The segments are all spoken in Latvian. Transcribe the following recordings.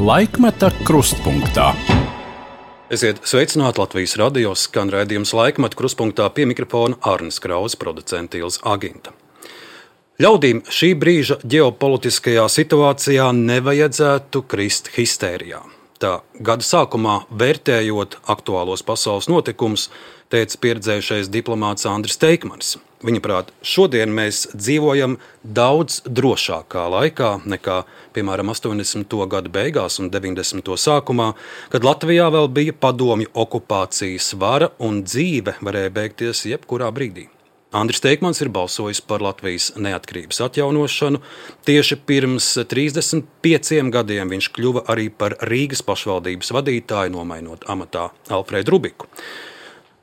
Laikmeta krustpunktā. Esiet sveicināti Latvijas radio, skan raidījums Laikmeta krustpunktā, pie mikrofona Arnis Krause, producents Ilze Aginta. Ļaudīm šī brīža ģeopolitiskajā situācijā nevajadzētu krist histērijā. Tā gada sākumā, vērtējot aktuālos pasaules notikumus, teica pieredzējušais diplomāts Andris Teikmanis. Viņaprāt, šodien mēs dzīvojam daudz drošākā laikā nekā, piemēram, 80. gadu beigās un 90. sākumā, kad Latvijā vēl bija padomju okupācijas vara un dzīve varēja beigties jebkurā brīdī. Andris Teikmanis ir balsojis par Latvijas neatkarības atjaunošanu. Tieši pirms 35 gadiem viņš kļuva arī par Rīgas pašvaldības vadītāju, nomainot amatā Alfredu Rubiku.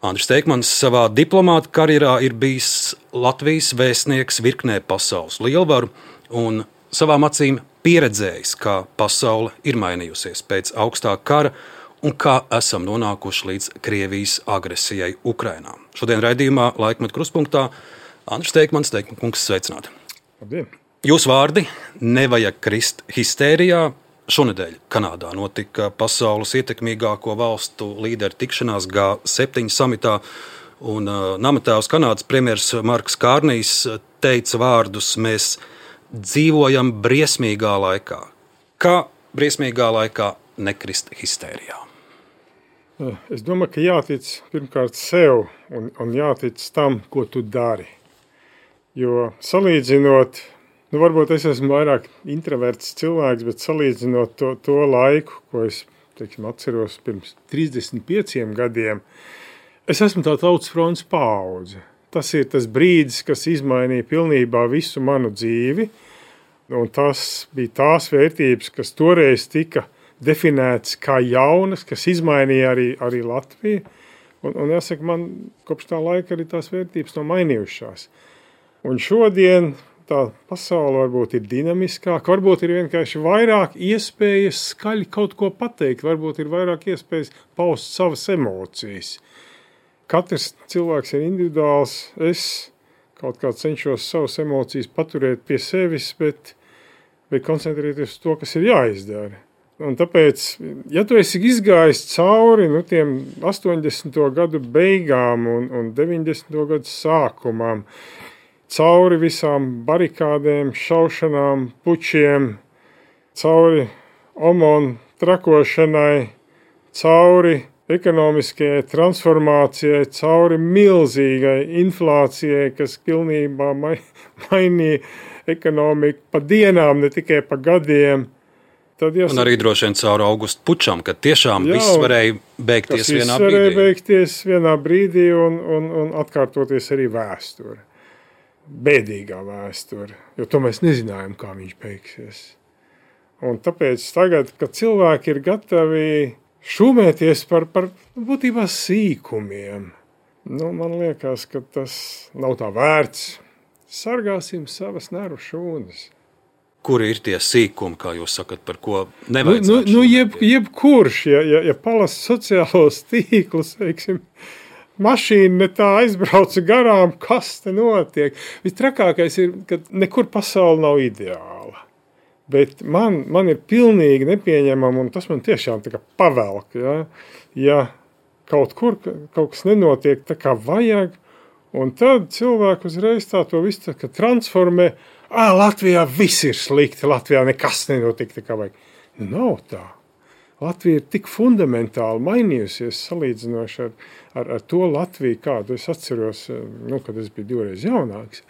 Andris Teikmanis savā diplomāta karjerā ir bijis Latvijas vēstnieks virknē pasaules lielvaru un savām acīm pieredzējis, kā pasaule ir mainījusies pēc augstā kara un kā esam nonākuši līdz Krievijas agresijai Ukrainā. Šodien raidījumā Laikmeta krustpunktā Andris Teikmanis, kungs, sveicināti. Labdien. Jūsu vārdi nevajag krist histērijā. Šonedēļ Kanādā notika pasaules ietekmīgāko valstu līderu tikšanās G7 samitā, un namatēvs Kanādas premjers Marks Kārnijs teica vārdus: mēs dzīvojam briesmīgā laikā. Kā briesmīgā laikā nekrist histērijā? Es domāju, ka jātic pirmkārt sev un jātic tam, ko tu dari. Jo salīdzinot, varbūt es esmu vairāk introverts cilvēks, bet salīdzinot to laiku, ko es atceros pirms 35 gadiem, es esmu tā tautas fronts paudze. Tas ir tas brīdis, kas izmainīja pilnībā visu manu dzīvi, un tas bija tās vērtības, kas toreiz tika definēts kā jaunas, kas izmainīja arī Latviju. Un jāsaka, man kopš tā laika arī tās vērtības nav mainījušās. Un šodien tā pasaule varbūt ir dinamiskāka, varbūt ir vienkārši vairāk iespējas skaļi kaut ko pateikt, varbūt ir vairāk iespējas paust savas emocijas. Katrs cilvēks ir individuāls, es kaut kā cenšos savas emocijas paturēt pie sevis, bet koncentrēties uz to, kas ir jāizdara. Un tāpēc, ja tu esi izgājis cauri tiem 80. gadu beigām un 90. gadu sākumam, cauri visām barikādēm, šaušanām, pučiem, cauri OMON trakošanai, cauri ekonomiskajai transformācijai, cauri milzīgai inflācijai, kas pilnībā mainīja ekonomiku pa dienām, ne tikai pa gadiem. Un arī droši vien caur augustu pučam, kad tiešām viss varēja beigties vienā brīdī. Varēja beigties vienā brīdī un atkārtoties arī vēsture. Bēdīgā vēsture, jo to mēs nezinājām, kā viņš beigsies. Un tāpēc tagad, kad cilvēki ir gatavi šūmēties par būtībā sīkumiem, man liekas, ka tas nav tā vērts. Sargāsim savas nervu šūnas. Kuri ir tie sīkumi, kā jūs sakat, par ko nevajadzētu? Jebkurš, ja palas sociālos tīklus, mašīna ne tā aizbrauca garām, kas te notiek. Vistrakākais ir, ka nekur pasaule nav ideāla. Bet man ir pilnīgi nepieņemama, un tas man tiešām tā kā pavelk, ja kaut kur kaut kas nenotiek tā kā vajag, un tad cilvēku uzreiz to visu transformē. Latvijā viss ir slikti, Latvijā nekas nenotika tā kā vajag. Nav tā. Latvija ir tik fundamentāli mainījusies salīdzinoši ar to Latviju, kādu es atceros, kad es biju 2 reizes jaunāks.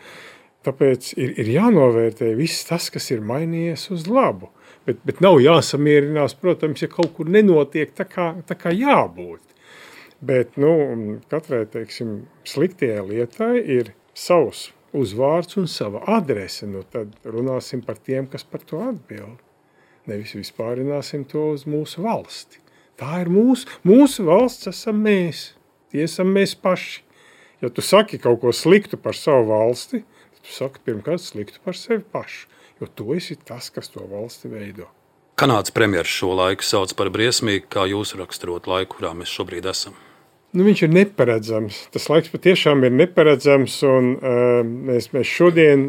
Tāpēc ir jānovērtē viss tas, kas ir mainījies uz labu. Bet nav jāsamierinās, protams, ja kaut kur nenotiek tā kā jābūt. Bet katrai, sliktajai lietai ir savs uzvārds un sava adrese. Tad runāsim par tiem, kas par to atbild. Nevis vispārināsim to uz mūsu valsti. Tā ir mūsu valsts, esam mēs. Tie esam mēs paši. Ja tu saki kaut ko sliktu par savu valsti, tad tu saki pirmkārt sliktu par sevi pašu. Jo tu esi tas, kas to valsti veido. Kanādas premjers šo laiku sauc par briesmīgu, kā jūs raksturot laiku, kurā mēs šobrīd esam. Viņš ir neparedzams. Tas laiks patiešām ir neparedzams, un mēs šodien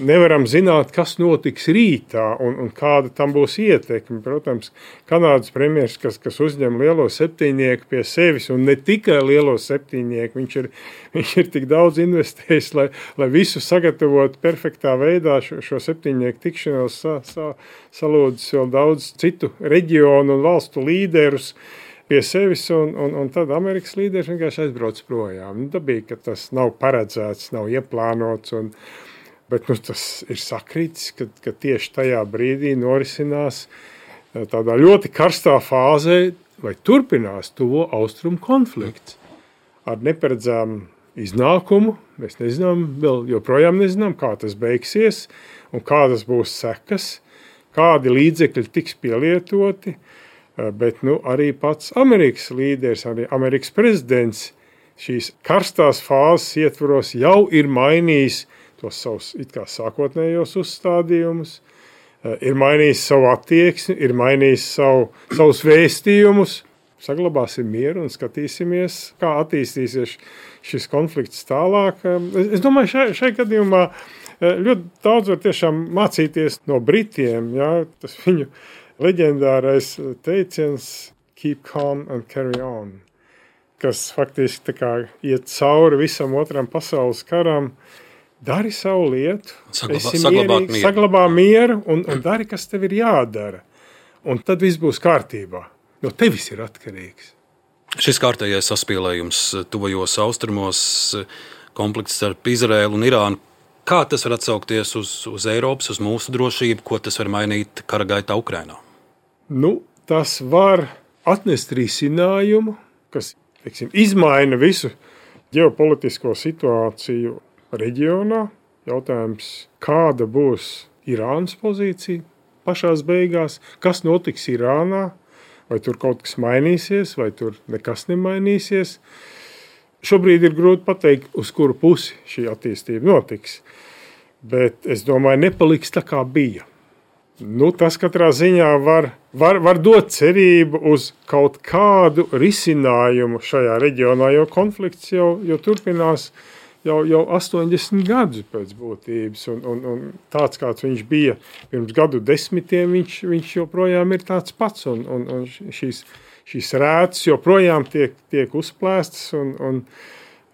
nevaram zināt, kas notiks rītā un kāda tam būs ietekme. Protams, Kanādas premjers, kas uzņem lielo septiņnieku pie sevis, un ne tikai lielo septiņnieku, viņš ir tik daudz investējis, lai visu sagatavotu perfektā veidā šo septiņnieku tikšanos, salūdzis vēl daudz citu reģionu un valstu līderus pie sevis, un tad Amerikas līderis vienkārši aizbrauc projām. Dabīgi, ka tas nav paredzēts, nav ieplānots, bet tas ir sakrītis, ka tieši tajā brīdī norisinās tādā ļoti karstā fāzē, vai turpinās tuvo austrumu konflikts ar neparedzām iznākumu. Mēs nezinām, vēl joprojām nezinām, kā tas beigsies un kādas būs sekas, kādi līdzekļi tiks pielietoti. Bet arī pats Amerikas līderis, arī Amerikas prezidents šīs karstās fāzes ietvaros jau ir mainījis tos savus it kā sākotnējos uzstādījumus, ir mainījis savu attieksmi, ir mainījis savus vēstījumus. Saglabāsim mieru un skatīsimies, kā attīstīsies šis konflikts tālāk. Es domāju, šai gadījumā ļoti daudz var tiešām mācīties no Britiem, ja, tas viņu leģendārais teiciens keep calm and carry on, kas faktiski tā kā iet cauri visam otram pasaules karam, dari savu lietu, saglabā mieru un dari, kas tev ir jādara. Un tad viss būs kārtībā. No tevis ir atkarīgs. Šis kārtējais saspīlējums tuvajos austrumos, konflikts starp Izraēlu un Irānu, kā tas var atsaukties uz Eiropas, uz mūsu drošību, ko tas var mainīt kara gaitā Ukrainā? Tas var atnest risinājumu, kas, izmaina visu ģeopolitisko situāciju reģionā. Jautājums, kāda būs Irānas pozīcija pašās beigās, kas notiks Irānā, vai tur kaut kas mainīsies, vai tur nekas nemainīsies. Šobrīd ir grūti pateikt, uz kuru pusi šī attīstība notiks, bet es domāju, nepaliks tā kā bija. Tas katrā ziņā var dot cerību uz kaut kādu risinājumu šajā reģionā, jo konflikts jau turpinās jau 80 gadus pēc būtības, un tāds, kāds viņš bija pirms gadu desmitiem, viņš joprojām ir tāds pats, un šīs rētas joprojām tiek uzplēstas, un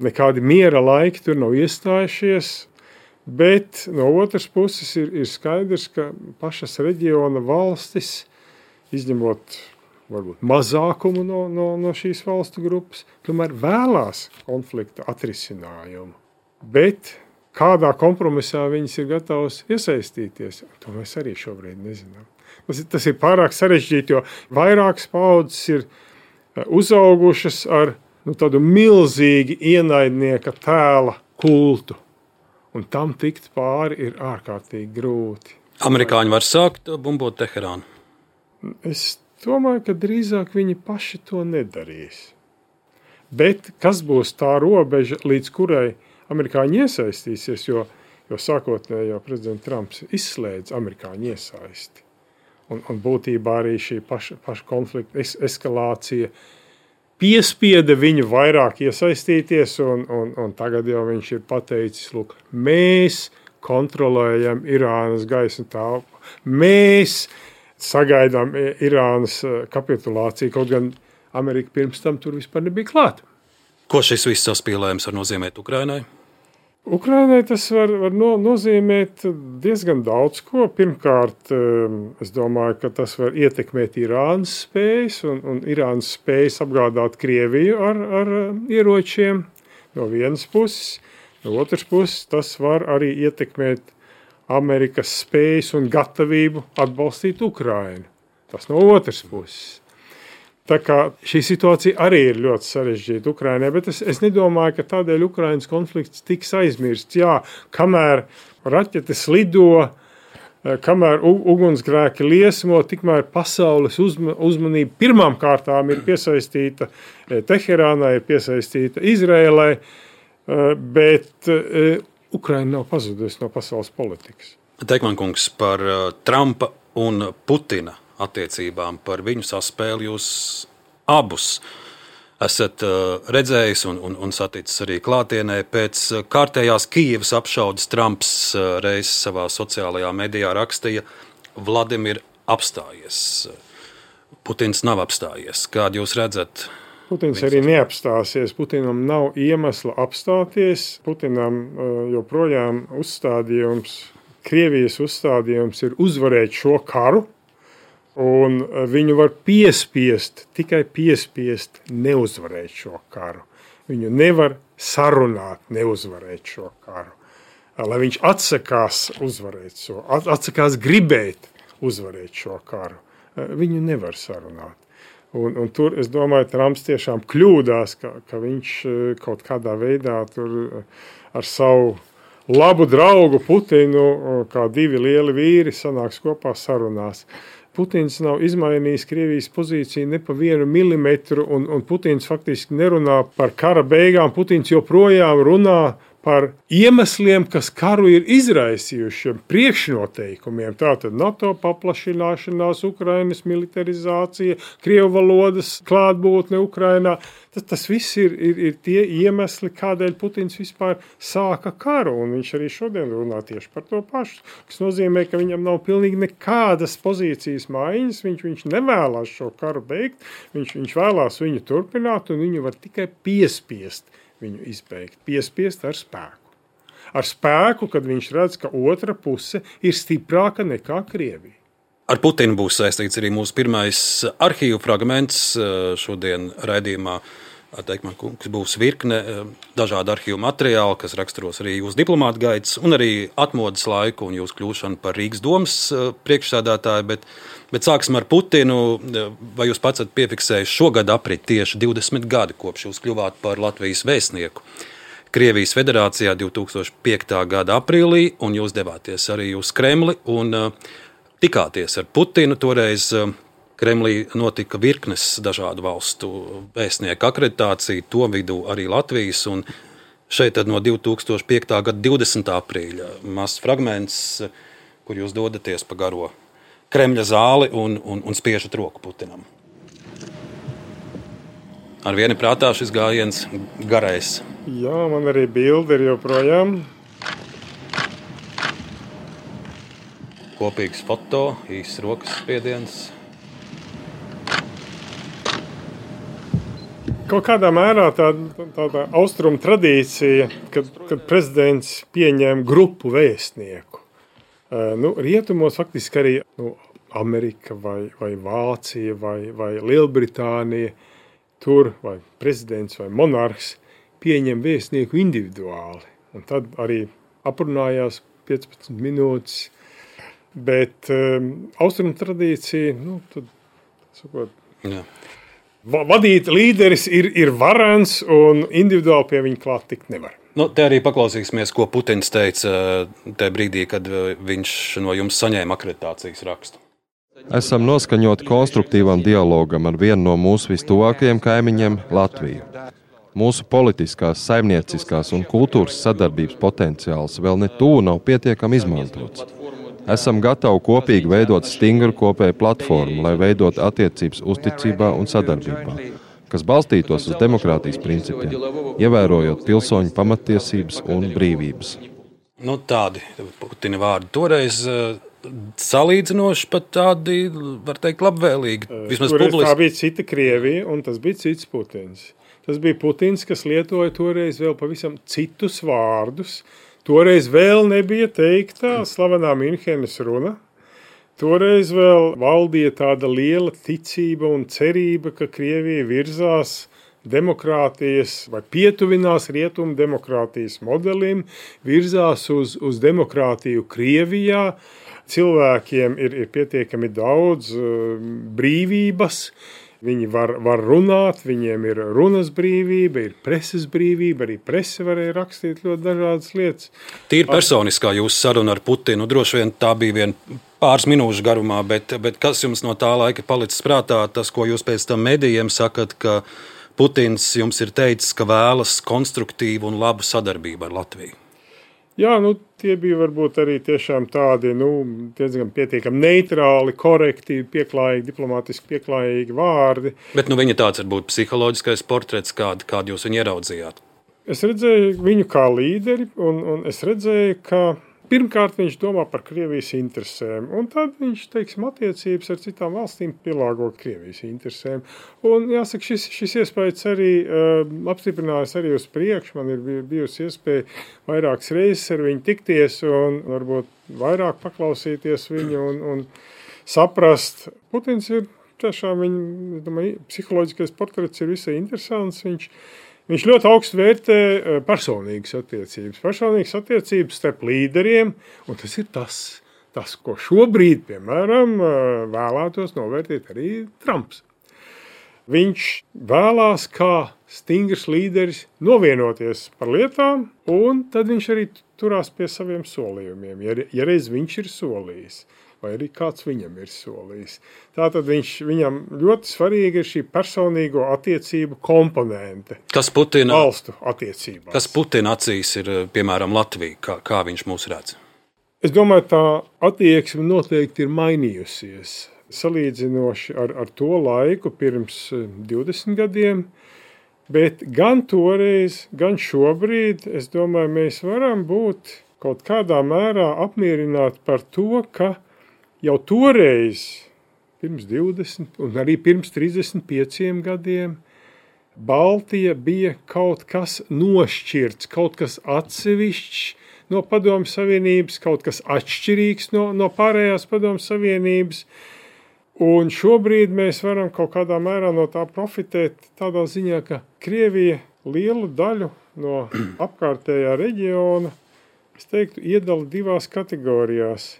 nekādi miera laiki tur nav iestājušies. Bet no otras puses ir skaidrs, ka pašas reģiona valstis, izņemot varbūt mazākumu no šīs valstu grupas, tomēr vēlās konflikta atrisinājumu. Bet kādā kompromisā viņas ir gatavas iesaistīties, to mēs arī šobrīd nezinām. Tas ir pārāk sarežģīti, jo vairākas paudzes ir uzaugušas ar tādu milzīgi ienaidnieka tēla kultu. Un tam tikt pāri ir ārkārtīgi grūti. Amerikāņi var sākt bumbot Teherānu? Es domāju, ka drīzāk viņi paši to nedarīs. Bet kas būs tā robeža, līdz kurai amerikāņi iesaistīsies, jo sākotnēji jau prezidents Trumps izslēdz amerikāņu iesaisti. Un būtībā arī šī paša konflikta eskalācija piespieda viņu vairāk iesaistīties, un tagad jau viņš ir pateicis, lūk, mēs kontrolējam Irānas gaismu telpu, mēs sagaidām Irānas kapitulāciju, kaut gan Amerika pirms tam tur vispār nebija klāta. Ko šis viss saspīlējums var nozīmēt Ukrainai? Ukrainai tas var nozīmēt diezgan daudz ko. Pirmkārt, es domāju, ka tas var ietekmēt Irānas spējas un Irānas spējas apgādāt Krieviju ar ieročiem no vienas puses. No otras puses, tas var arī ietekmēt Amerikas spējas un gatavību atbalstīt Ukrainu. Tas no otras puses. Tā kā šī situācija arī ir ļoti sarežģīta Ukrainai, bet es nedomāju, ka tādēļ Ukrainas konflikts tiks aizmirsts. Jā, kamēr raķetes lido, kamēr ugunsgrēki liesmo, tikmēr pasaules uzmanība pirmām kārtām ir piesaistīta Teherānai, ir piesaistīta Izrēlai, bet Ukraina nav pazudusi no pasaules politikas. Teikman kungs, par Trumpa un Putina attiecībām, par viņu saspēli jūs abus esat redzējis un saticis arī klātienē. Pēc kārtējās Kijevas apšaudes Trumps reiz savā sociālajā medijā rakstīja: Vladimir apstājies. Putins nav apstājies. Kādu jūs redzat? Putins arī neapstāsies. Putinam nav iemesla apstāties. Putinam joprojām Krievijas uzstādījums ir uzvarēt šo karu. Un viņu var tikai piespiest neuzvarēt šo karu. Viņu nevar sarunāt neuzvarēt šo karu. Lai viņš atsakās gribēt uzvarēt šo karu. Viņu nevar sarunāt. Un tur, es domāju, Trumps tiešām kļūdās, ka viņš kaut kādā veidā tur ar savu labu draugu Putinu, kā divi lieli vīri, sanāks kopā sarunās. Putins nav izmainījis Krievijas pozīciju ne pa 1 milimetru, un Putins faktiski nerunā par kara beigām. Putins joprojām runā par iemesliem, kas karu ir izraisījuši, priekšnoteikumiem. Tātad NATO paplašināšanās, Ukrainas militarizācija, krievu valodas klātbūtne Ukrainā. Tas viss ir tie iemesli, kādēļ Putins vispār sāka karu, un viņš arī šodien runā tieši par to pašu, kas nozīmē, ka viņam nav pilnīgi nekādas pozīcijas maiņas, viņš nevēlās šo karu beigt, viņš vēlās viņu turpināt, un viņu var tikai piespiest viņu izbeigt, piespiest ar spēku. Ar spēku, kad viņš redz, ka otra puse ir stiprāka nekā Krievija. Ar Putinu būs saistīts arī mūsu pirmais arhīvu fragments šodien raidījumā. Man kungs, būs virkne dažādu arhīvu materiālu, kas raksturos arī jūsu diplomāta gaitas un arī atmodas laiku un jūsu kļūšanu par Rīgas domas priekšsēdētāju, bet sāksim ar Putinu. Vai jūs pats esat piefiksējis šogad aprit tieši 20 gadi, kopš jūs kļuvāt par Latvijas vēstnieku Krievijas federācijā 2005. gada aprīlī, un jūs devāties arī uz Kremli un tikāties ar Putinu. Toreiz Kremlī notika virknes dažādu valstu vēstnieku akreditācija, to vidū arī Latvijas, un šeit tad no 2005. gada 20. aprīļa mazs fragments, kur jūs dodaties pa garo Kremļa zāli un spiežat roku Putinam. Ar vienu prātā šis gājiens garais. Jā, man arī bilde ir joprojām. Kopīgs foto, īsts rokas spiediens. Kaut kādā mērā tāda austrumu tradīcija, kad prezidents pieņem grupu vēstnieku. Rietumos faktiski arī Amerika vai Vācija vai Lielbritānija, tur vai prezidents vai monarhs pieņem vēstnieku individuāli. Un tad arī aprunājās 15 minūtes. Bet austrumu tradīcija, tad sakot, vadīt līderis ir varens un individuāli pie viņa klāt tikt nevar. Te arī paklausīsimies, ko Putins teica tajā brīdī, kad viņš no jums saņēma akreditācijas rakstu. Esam noskaņoti konstruktīvam dialogam ar vienu no mūsu vistuvākajiem kaimiņiem – Latviju. Mūsu politiskās, saimnieciskās un kultūras sadarbības potenciāls vēl ne tuvu nav pietiekami izmantots. Esam gatavi kopīgi veidot stingru kopēju platformu, lai veidot attiecības uzticībā un sadarbībā, kas balstītos uz demokrātijas principiem, ievērojot pilsoņu pamatiesības un brīvības. Tādi Putina vārdi toreiz salīdzinoši, pat tādi, var teikt, labvēlīgi. Vismaz publiski. Tā bija cita Krievija un tas bija cits Putins. Tas bija Putins, kas lietoja toreiz vēl pavisam citus vārdus. Toreiz vēl nebija teikta slavenā Minhenes runa. Toreiz vēl valdīja tāda liela ticība un cerība, ka Krievija virzās demokrātijas vai pietuvinās rietumu demokrātijas modelim, virzās uz demokrātiju Krievijā. Cilvēkiem ir pietiekami daudz brīvības. Viņi var runāt, viņiem ir runas brīvība, ir preses brīvība, arī prese varēja rakstīt ļoti dažādas lietas. Tīri personiskā jūsu saruna ar Putinu, droši vien tā bija vien pāris minūšu garumā, bet kas jums no tā laika palicis prātā, tas, ko jūs pēc tam medijiem sakat, ka Putins jums ir teicis, ka vēlas konstruktīvu un labu sadarbību ar Latviju? Jā, tie bija varbūt arī tiešām tādi, diezgan pietiekami neitrāli, korekti, pieklājīgi, diplomātiski pieklājīgi vārdi. Bet viņa tāds varbūt psiholoģiskais portrets, kādu jūs viņu ieraudzījāt? Es redzēju viņu kā līderi, un es redzēju, ka pirmkārt viņš domā par Krievijas interesēm, un tad viņš, attiecības ar citām valstīm pielāgo Krievijas interesēm. Un jāsaka, šis iespējas arī apstiprinājās arī uz priekšu. Man ir bijusi iespēja vairākas reizes ar viņu tikties un varbūt vairāk paklausīties viņu un saprast. Putins ir tiešām viņa, psiholoģiskais portrets ir visai interesants. Viņš ļoti augstu vērtē personīgas attiecības starp līderiem, un tas ir tas, ko šobrīd, piemēram, vēlētos novērtēt arī Trumps. Viņš vēlās kā stingrs līderis novienoties par lietām, un tad viņš arī turās pie saviem solījumiem, ja reiz viņš ir solījis. Vai arī kāds viņam ir solījis. Tātad viņam ļoti svarīga ir šī personīgo attiecību komponente. Kas Putina valstu attiecībās. Kas Putina acīs ir, piemēram, Latvija, kā viņš mūs redz? Es domāju, tā attieksme noteikti ir mainījusies. Salīdzinoši ar to laiku pirms 20 gadiem, bet gan toreiz, gan šobrīd, es domāju, mēs varam būt kaut kādā mērā apmierināti par to, ka jau toreiz, pirms 20 un arī pirms 35 gadiem, Baltija bija kaut kas nošķirts, kaut kas atsevišķs no Padomju Savienības, kaut kas atšķirīgs no pārējās Padomju Savienības. Un šobrīd mēs varam kaut kādā mērā no tā profitēt tādā ziņā, ka Krievija lielu daļu no apkārtējā reģiona, es teiktu, iedala divās kategorijās.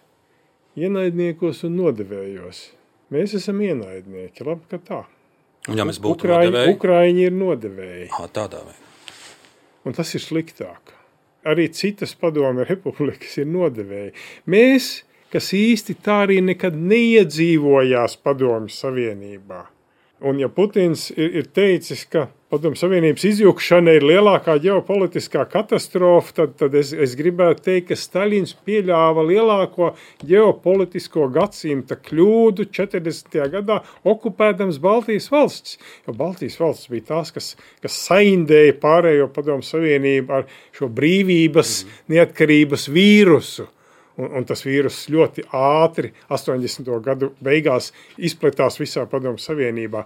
Ienaidniekos un nodevējos. Mēs esam ienaidnieki, labi, ka tā. Un ja mēs būtu nodevēji? Ukraiņi ir nodevēji. Tādā veidā. Un tas ir sliktāk. Arī citas Padomju republikas ir nodevēji. Mēs, kas īsti tā arī nekad neiedzīvojās Padomju Savienībā. Un ja Putins ir teicis, ka Padomju Savienības izjukšana ir lielākā ģeopolitiskā katastrofa, tad es gribētu teikt, ka Staļins pieļāva lielāko ģeopolitisko gadsimta kļūdu 40. gadā okupēdams Baltijas valsts. Jo Baltijas valsts bija tās, kas saindēja pārējo Padomju Savienību ar šo brīvības, neatkarības vīrusu. Un tas vīrus ļoti ātri 80. gadu beigās izpletās visā Padomju Savienībā.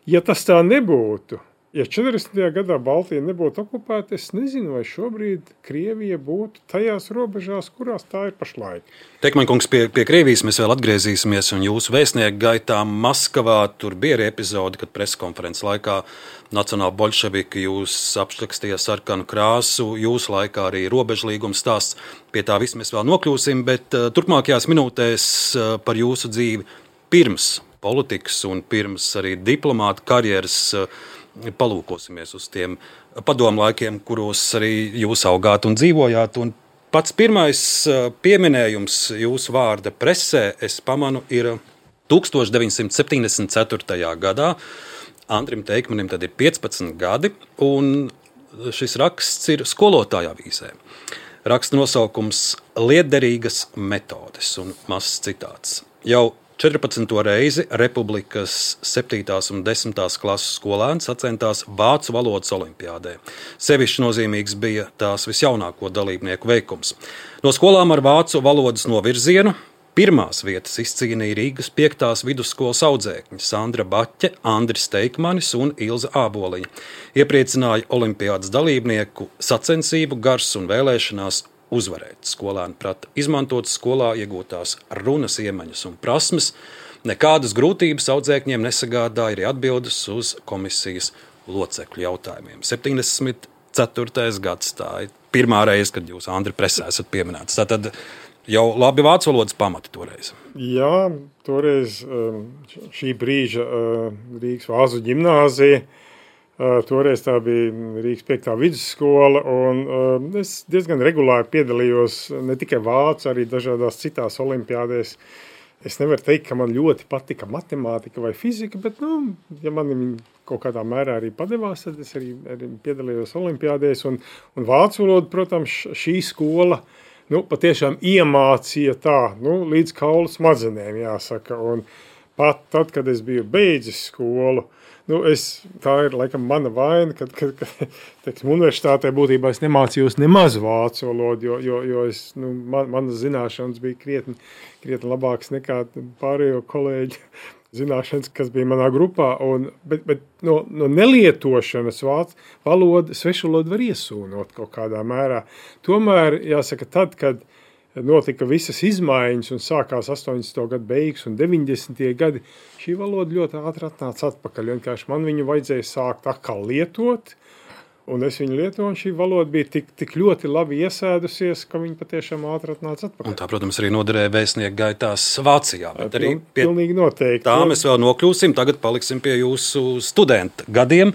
Ja tas tā nebūtu, ja 40. gadā Baltija nebūtu okupēta, es nezinu, vai šobrīd Krievija būtu tajās robežās, kurās tā ir pašlaik. Teikmaņkungs, pie Krievijas mēs vēl atgriezīsimies, un jūsu vēstnieku gaitā Maskavā tur bija arī epizode, kad preskonferences laikā Nacionāli bolševiki jūs apšļakstīja sarkanu krāsu, jūsu laikā arī robežlīgums stāsts. Pie tā viss mēs vēl nokļūsim, bet turpmākajās minūtēs par jūsu dzīvi pirms politikas un pirms arī diplomāta karjeras palūkosimies uz tiem padomu laikiem, kuros arī jūs augāt un dzīvojāt. Un pats pirmais pieminējums jūsu vārda presē, es pamanu, ir 1974. gadā. Andrim Teikmanim tad ir 15 gadi, un šis raksts ir skolotāja avīzē. Raksta nosaukums Lietderīgas metodes un mazs citāts. Jau 14. reizi Republikas 7. un 10. klases skolēni sacentās vācu valodas olimpiādē. Sevišķi nozīmīgs bija tās visjaunāko dalībnieku veikums. No skolām ar vācu valodas novirzienu pirmās vietas izcīnīja Rīgas 5. vidusskolas audzēkņi Sandra Baķe, Andris Teikmanis un Ilze Āboliņa. Iepriecināja olimpiādas dalībnieku sacensību gars un vēlēšanās uzvarēt. Skolēni prata izmantot skolā iegūtās runas iemaņas un prasmes. Nekādas grūtības audzēkņiem nesagādāja arī atbildes uz komisijas locekļu jautājumiem. 74. gads, tā ir pirmā reize, kad jūs, Andri, presē esat pieminēts. Tātad jau labi vācu valodas pamati toreiz. Jā, toreiz šī brīža Rīgas Vāzu ģimnāzija, toreiz tā bija Rīgas 5. vidusskola, un es diezgan regulāri piedalījos ne tikai vācu, arī dažādās citās olimpiādēs. Es nevaru teikt, ka man ļoti patika matemātika vai fizika, bet, ja man kaut kādā mērā arī padevās, tad es arī piedalījos olimpiādēs. Un vācu valodu, protams, šī skola patiešām iemācīja tā, līdz kaulu smadzenēm, jāsaka. Un pat tad, kad es biju beidzis skolu, tā ir laikam mana vaina, kad teiksim, universitātē būtībā es nemācījos nemaz vācu valodu, jo manas zināšanas bija krietni labākas nekā pārējo kolēģi zināšanas, kas bija manā grupā. Bet no nelietošanas vācu valodu, svešu valodu var iesūnot kaut kādā mērā. Tomēr, jāsaka, tad, kad notika visas izmaiņas un sākās 80. gadu beigas un 90. gadi, šī valoda ļoti ātri atnāca atpakaļ. Vienkārši man viņu vajadzēja sākt atkal lietot, un es viņu lietoju, un šī valoda bija tik ļoti labi iesēdusies, ka viņa patiešām ātri atnāca atpakaļ. Un tā, protams, arī noderēja vēstnieku gaitās Vācijā. Bet arī pilnīgi noteikti. Tā mēs vēl nokļūsim, tagad paliksim pie jūsu studenta gadiem.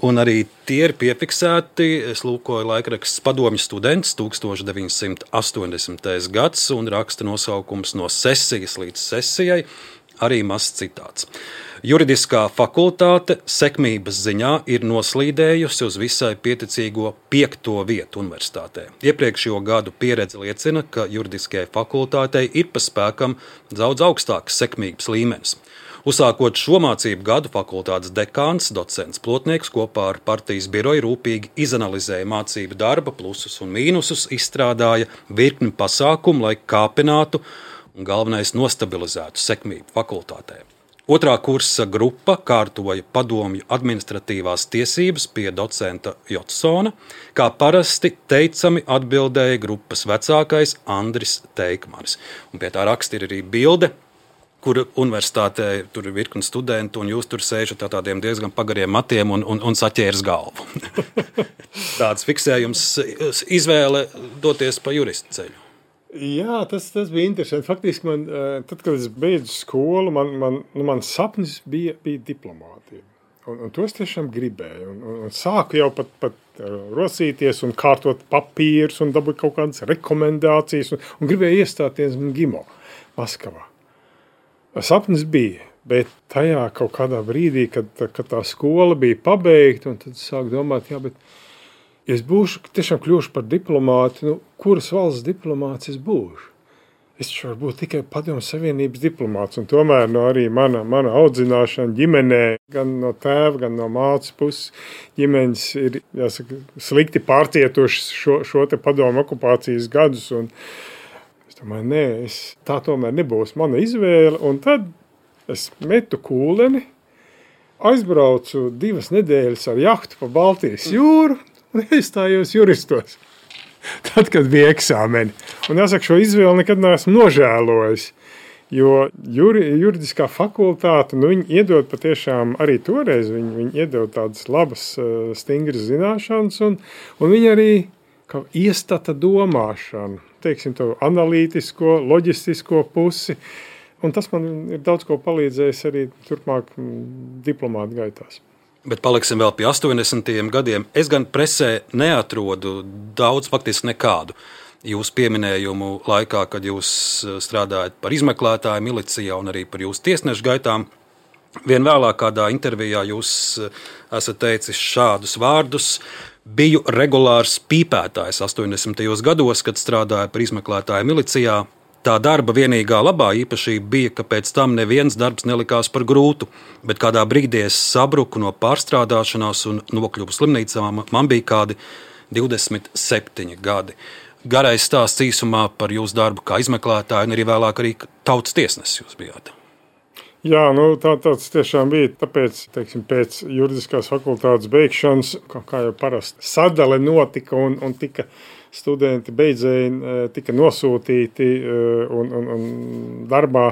Un arī tie ir piefiksēti. Es lūkoju laikraksts Padomju students 1980. gads un raksta nosaukums no sesijas līdz sesijai, arī mazs citāts. Juridiskā fakultāte sekmības ziņā ir noslīdējusi uz visai pieticīgo 5. vietu universitātē. Iepriekšējo gadu pieredze liecina, ka juridiskajai fakultātei ir pa spēkam daudz augstāks sekmības līmenis. Uzsākot šo mācību gadu, fakultātes dekāns, docents Plotnieks kopā ar partijas biroju rūpīgi izanalizēja mācību darba plusus un mīnusus, izstrādāja virkni pasākumu, lai kāpinātu un galvenais nostabilizētu sekmību fakultātē. Otrā kursa grupa kārtoja padomju administratīvās tiesības pie docenta Jotsona, kā parasti teicami atbildēja grupas vecākais Andris Teikmanis. Un pie tā raksta ir arī bilde, kur universitātē tur ir virkni studentu, un jūs tur sēžat ar tādiem diezgan pagariem matiem un saķēras galvu. Tāds fiksējums, izvēle doties pa juristu ceļu. Jā, tas bija interesanti. Faktiski man, tad, kad es beidzu skolu, man sapnis bija diplomātija. Un to es tiešām gribēju. Un sāku jau pat rosīties un kārtot papīrus un dabūt kaut kādas rekomendācijas un gribēju iestāties GIMO Maskavā. Sapnis bija, bet tajā kaut kādā brīdī, kad tā skola bija pabeigta, un tad sāku domāt, bet ja es kļūšu par diplomāti, kuras valsts diplomāts es būšu? Es varu būt tikai Padomju Savienības diplomāts, un tomēr arī mana audzināšana ģimenē, gan no tēva, gan no mātes puses ģimenes ir, jāsaka, slikti pārcietušas šo te padomju okupācijas gadus, un es domāju, tā tomēr nebūs mana izvēle, un tad es metu kūleni, aizbraucu 2 nedēļas ar jahtu pa Baltijas jūru un iestājos juristos. Tad, kad bija eksāmeni. Un jāsaka, šo izvēli nekad neesmu nožēlojis, jo juridiskā fakultāte, viņi iedod patiešām arī toreiz, viņi iedod tādas labas, stingras zināšanas, un viņi arī iestata domāšanu, teiksim, to analītisko, loģistisko pusi, un tas man ir daudz ko palīdzējis arī turpmāk diplomāta gaitās. Bet paliksim vēl pie 80. gadiem. Es gan presē neatrodu daudz, faktiski nekādu jūsu pieminējumu laikā, kad jūs strādājat par izmeklētāju milicijā un arī par jūsu tiesnešu gaitām. Vien vēlāk kādā intervijā jūs esat teicis šādus vārdus: biju regulārs pīpētājs 80. gados, kad strādāju par izmeklētāju milicijā. Tā darba vienīgā labā īpašība bija, ka pēc tam neviens darbs nelikās par grūtu, bet kādā brīdī es sabruku no pārstrādāšanās un nokļuvu slimnīcā. Man bija kādi 27 gadi. Garais stāsts īsumā par jūsu darbu kā izmeklētāju un arī vēlāk arī tautas tiesnesis jūs bijāt. Jā, tāds tiešām bija. Tāpēc, pēc juridiskās fakultātes beigšanas, kā jau parasti, sadale notika un tika studenti beidzēji tika nosūtīti un darbā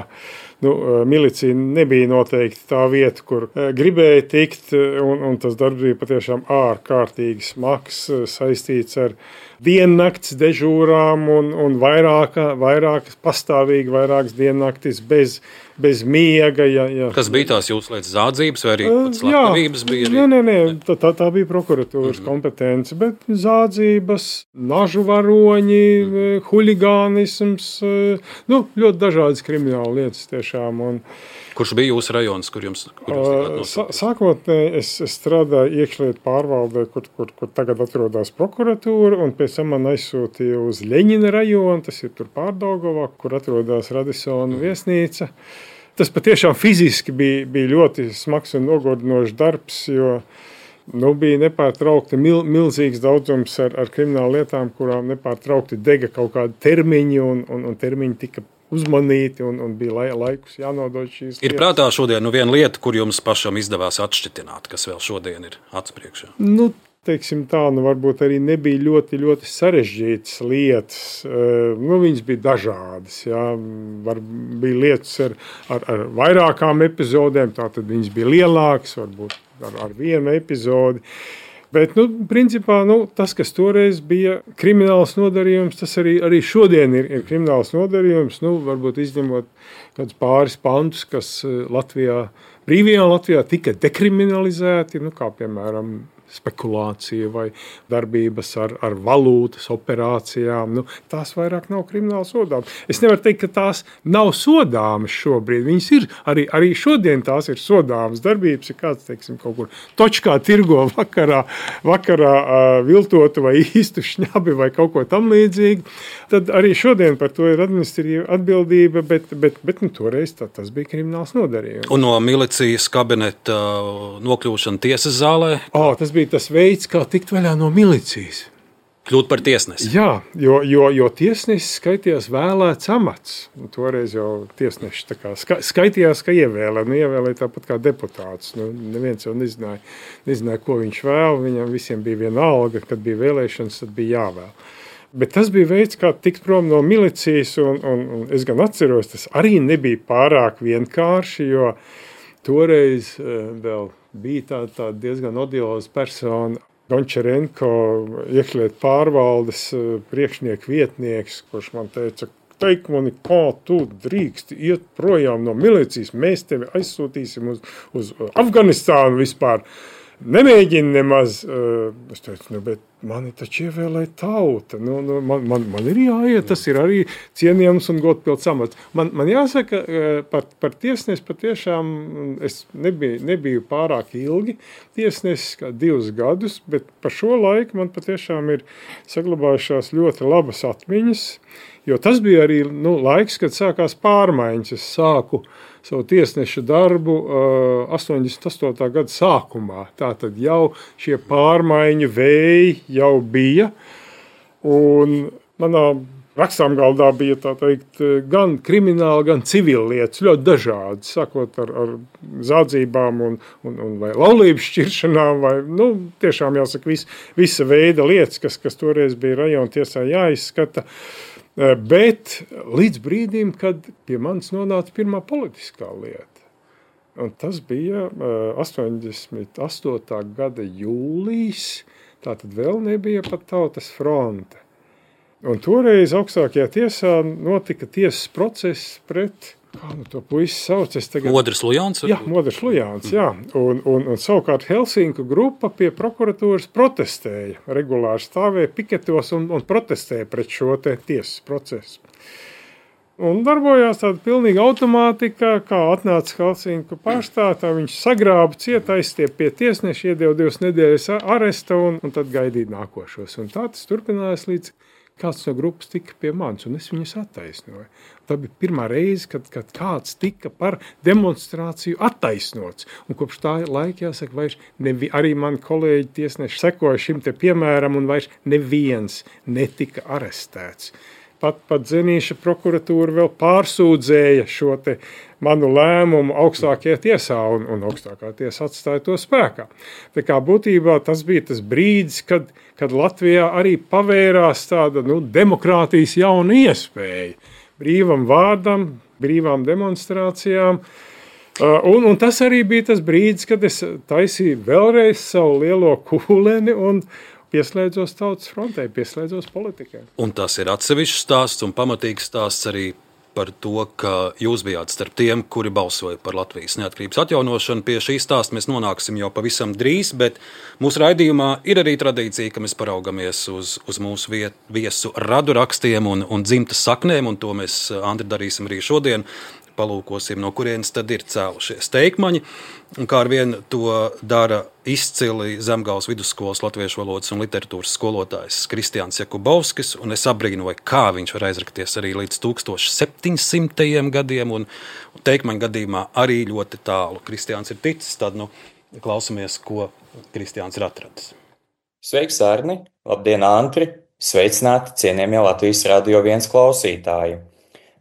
milicija nebija noteikti tā vieta, kur gribēja tikt, un tas darbs bija patiešām ārkārtīgi smags, saistīts ar diennakts dežūrām un vairākas pastāvīgi vairākas diennaktis bez miega. Ja. Kas bija tās jūsu lietas zādzības vai arī pats slepkavības bija? Nē, tā bija prokuratūras kompetence, bet zādzības, nažu varoņi, huligānisms, ļoti dažādas krimināla lietas tiešām. Kurš bija jūsu rajons, kur jums Sākotnēji es strādāju iekšlietu pārvaldē, kur tagad atrodas prokuratūra, un pēc tam man aizsūtīja uz Ļeņina rajonu, tas ir tur Pārdaugavā, kur atrodas Radisona viesnīca. Tas patiešām fiziski bija ļoti smags un nogodinošs darbs, jo bija nepārtraukti milzīgs daudzums ar kriminālu lietām, kurām nepārtraukti dega kaut kādi termiņi, un termiņi tika uzmanīti un bija laikus jānodod šīs lietas. Ir prātā šodien viena lieta, kur jums pašam izdevās atšķitināt, kas vēl šodien ir acu priekšā? Teiksim tā, varbūt arī nebija ļoti, ļoti sarežģītas lietas. Viņas bija dažādas. Jā. Bija lietas ar vairākām epizodēm, tātad viņas bija lielākas, varbūt ar vienu epizodi. Bet, principā, tas, kas toreiz bija krimināls nodarījums, tas arī šodien ir krimināls nodarījums. Varbūt izņemot kādus pāris pantus, kas brīvajā Latvijā tika dekriminalizēti, kā piemēram spekulācija vai darbības ar valūtas operācijām. Tās vairāk nav krimināli sodāmas. Es nevaru teikt, ka tās nav sodāmas šobrīd. Viņas ir, arī šodien tās ir sodāmas darbības. Ir kāds, teiksim, kaut kur točkā tirgo vakarā viltotu vai īstu šņabi vai kaut ko tam līdzīgi. Tad arī šodien par to ir administratīva atbildība, bet toreiz tas bija krimināls nodarījums. Un no milicijas kabineta nokļūšana tiesas zālē? Tas bija tas veids, kā tikt vaļā no milicijas. Kļūt par tiesnesi? Jā, jo tiesnesis skaitījās vēlēts amats. Toreiz jau tiesneši skaitījās, ka ievēlēja tāpat kā deputāts. Neviens jau nezināja, ko viņš vēl. Viņam visiem bija viena alga, kad bija vēlēšanas, tad bija jāvēl. Bet tas bija veids, kā tikt prom no milicijas, un es gan atceros, tas arī nebija pārāk vienkārši, jo toreiz vēl bija tā diezgan odioza persona, Gončarenko, iekšlietu pārvaldes priekšnieku vietnieks, kurš man teica, teik mani, kā tu drīksti iet projām no milicijas, mēs tevi aizsūtīsim uz Afganistānu vispār. Nemēģini nemaz. Es teicu, bet mani taču ievēlēja tauta. Man ir jāiet, tas ir arī cienījams un godpilns amats. Man jāsaka, par tiesnesi patiešām es nebiju pārāk ilgi tiesnesis, kā 2 gadus, bet par šo laiku man patiešām ir saglabājušās ļoti labas atmiņas, jo tas bija arī laiks, kad sākās pārmaiņas. Es sāku savu tiesneša darbu 88. gada sākumā. Tātad jau šie pārmaiņu vēji jau bija. Un manā rakstāmgaldā bija tā teikt gan krimināli, gan civili lietas, ļoti dažādi, sākot ar zādzībām un vai laulības šķiršanām, vai tiešām jāsaka visa veida lietas, kas toreiz bija rajona tiesā jāizskata. Bet līdz brīdim, kad pie manis nonāca pirmā politiskā lieta. Un tas bija 88. gada jūlijas, tātad vēl nebija pat Tautas fronte. Un toreiz augstākajā tiesā notika tiesas process pret, kā to puisi sauc, Modris Lujāns? Jā, Modris Lujāns, jā. Un savukārt Helsinku grupa pie prokuratūras protestēja, regulāri stāvēja piketos un protestēja pret šo tiesas procesu. Un darbojās tāda pilnīga automātika, kā atnāca Helsinku pārstāvā, viņš sagrāba cietais, tie pie tiesneša iedeva 2 nedēļas aresta un tad gaidīja nākošos. Un tā tas turpinājās līdz kāds no grupas tika pie manis, un es viņus attaisnoju. Tā bija pirmā reize, kad kāds tika par demonstrāciju attaisnots. Un kopš tā laika, jāsaka, vairs arī mani kolēģi tiesneši sekoja šim te piemēram, un vairs neviens netika arestēts. Pat Zenīša prokuratūra vēl pārsūdzēja šo te manu lēmumu augstākajā tiesā, un augstākā tiesa atstāja to spēkā. Tā kā būtībā tas bija tas brīdis, kad Latvijā arī pavērās tāda demokrātijas jauna iespēja. Brīvam vārdam, brīvām demonstrācijām. Un tas arī bija tas brīdis, kad es taisīju vēlreiz savu lielo kūleni un pieslēdzos Tautas frontei, pieslēdzos politikai. Un tas ir atsevišķs stāsts un pamatīgs stāsts arī par to, ka jūs bijāt starp tiem, kuri balsoja par Latvijas neatkarības atjaunošanu. Pie šī stāsta mēs nonāksim jau pavisam drīz, bet mūsu raidījumā ir arī tradīcija, ka mēs paraugamies uz mūsu viesu radu rakstiem un dzimtas saknēm, un to mēs, Andri, darīsim arī šodien. Palūkosim, no kurienes tad ir cēlušies teikmaņi. Un kā ar vienu to dara izcili Zemgales vidusskolas latviešu valodas un literatūras skolotājs Kristiāns Jakubovskis, un es abrīnoju, kā viņš var aizrakties arī līdz 1700. gadiem, un teikmaņu gadījumā arī ļoti tālu. Kristiāns ir ticis, tad klausamies, ko Kristiāns ir atradis. Sveiks, Arni! Labdien, Antri! Sveicināti, cienījamie Latvijas Radio 1 klausītāji!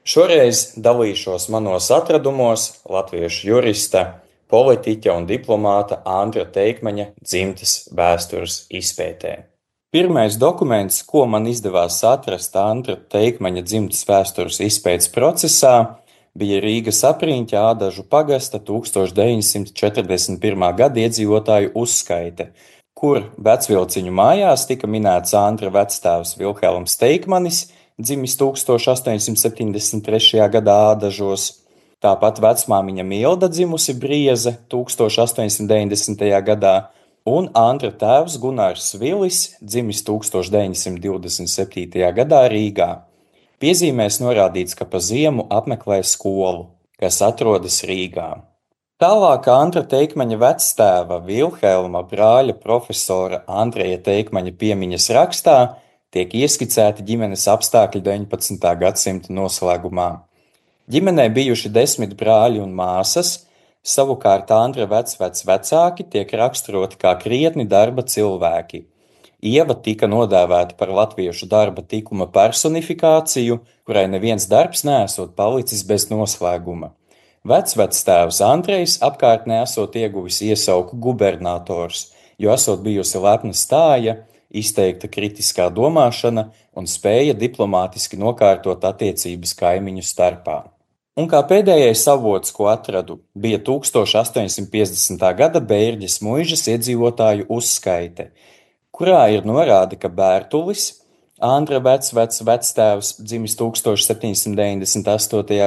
Šoreiz dalīšos manos atradumos latviešu jurista, politiķa un diplomāta Andra Teikmaņa dzimtes vēstures izpētē. Pirmais dokuments, ko man izdevās atrast Andra Teikmaņa dzimtes vēstures izpētes procesā, bija Rīgas Apriņķa Ādažu pagasta 1941. gada iedzīvotāju uzskaite, kur Vecvilciņu mājās tika minēts Andra vectēvs Vilhelms Teikmanis, dzimis 1873. gadā Ādažos, tāpat vecmāmiņa Milda dzimusi Brieze 1890. gadā, un Andra tēvs Gunārs Vilis dzimis 1927. gadā Rīgā. Piezīmēs norādīts, ka pa ziemu apmeklē skolu, kas atrodas Rīgā. Tālāk Andra Teikmaņa vectēva Vilhelma brāļa profesora Andreja Teikmaņa piemiņas rakstā tiek ieskicēti ģimenes apstākļi 19. gadsimta noslēgumā. Ģimenē bijuši 10 brāļi un māsas, savukārt Andra vecāki tiek raksturoti kā krietni darba cilvēki. Ieva tika nodēvēta par latviešu darba tikuma personifikāciju, kurai neviens darbs neesot palicis bez noslēguma. Vectēvs Andrejs apkārtnē esot ieguvis iesauku gubernators, jo esot bijusi lepna stāja, izteikta kritiskā domāšana un spēja diplomātiski nokārtot attiecības kaimiņu starpā. Un kā pēdējais avots, ko atradu, bija 1850. gada Bērģes muižas iedzīvotāju uzskaite, kurā ir norāde, ka Bērtulis, Andra vectēvs, dzimis 1798.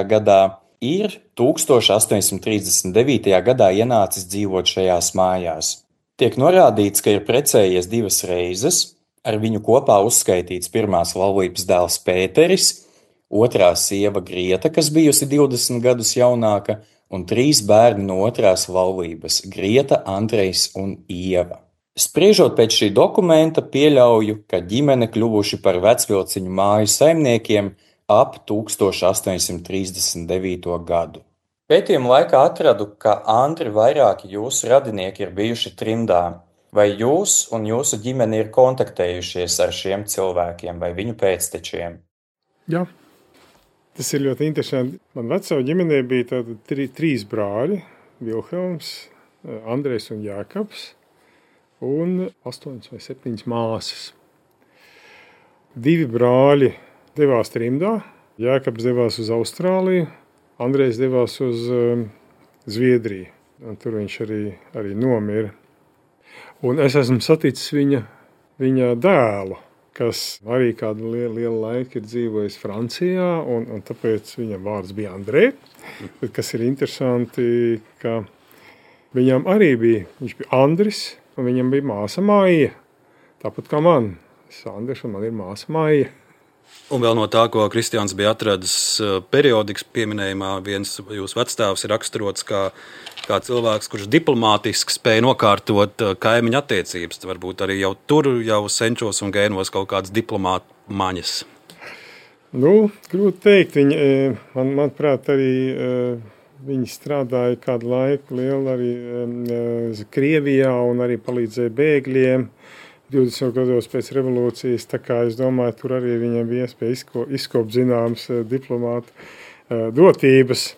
gadā, ir 1839. gadā ienācis dzīvot šajās mājās. Tiek norādīts, ka ir precējies 2 reizes, ar viņu kopā uzskaitīts pirmās laulības dēls Pēteris, otrā sieva Grieta, kas bijusi 20 gadus jaunāka, un 3 bērni no otrās laulības – Grieta, Andrejs un Ieva. Spriežot pēc šī dokumenta, pieļauju, ka ģimene kļuvuši par Vecvilciņu māju saimniekiem ap 1839. gadu. Pētījuma laikā atradu, ka Andri vairāki jūsu radinieki ir bijuši trimdā. Vai jūs un jūsu ģimene ir kontaktējušies ar šiem cilvēkiem vai viņu pēctečiem? Jā, tas ir ļoti interesanti. Man vecā ģimenē bija tātad 3 brāļi – Vilhelms, Andrejs un Jākabs, un 8 vai 7 māsas. 2 brāļi devās trimdā, Jākabs devās uz Austrāliju, Andrejs devās uz Zviedriju, un tur viņš arī nomira. Un es esmu saticis viņa dēlu, kas arī kādu lielu laiku ir dzīvojis Francijā, un tāpēc viņa vārds bija Andrej. Bet kas ir interesanti, ka viņam arī viņš bija Andris, un viņam bija māsa Maija, tāpat kā man. Es Andris, un man ir māsa Maija. Un vēl no tā, ko Kristiāns bija atradis periodikas pieminējumā, viens jūsu vectēvs ir raksturots kā cilvēks, kurš diplomātiski spēja nokārtot kaimiņu attiecības. Varbūt arī jau tur, jau senčos un gēnos kaut kādas diplomāta maņas. Grūti teikt. Manuprāt, arī viņi strādāja kādu laiku lielu arī Krievijā un arī palīdzēja bēgļiem. 20 gados pēc revolūcijas, tā kā es domāju, tur arī viņam bija iespēja izkopt zināmas diplomāta dotības.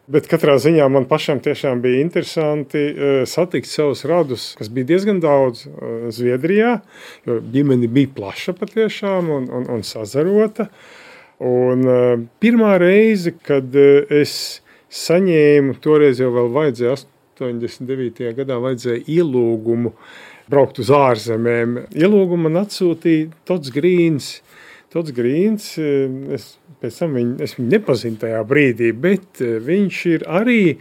Bet katrā ziņā man pašam tiešām bija interesanti satikt savus radus, kas bija diezgan daudz Zviedrijā, jo ģimene bija plaša patiešām un sazarota. Un pirmā reize, kad es saņēmu, toreiz jau vēl vajadzēja 89. gadā vajadzēja ielūgumu braukt uz ārzemēm. Ielūgumu man atsūtīja Tots Grīns. Tots Grīns, pēc tam es viņu nepazinu tajā brīdī, bet viņš ir arī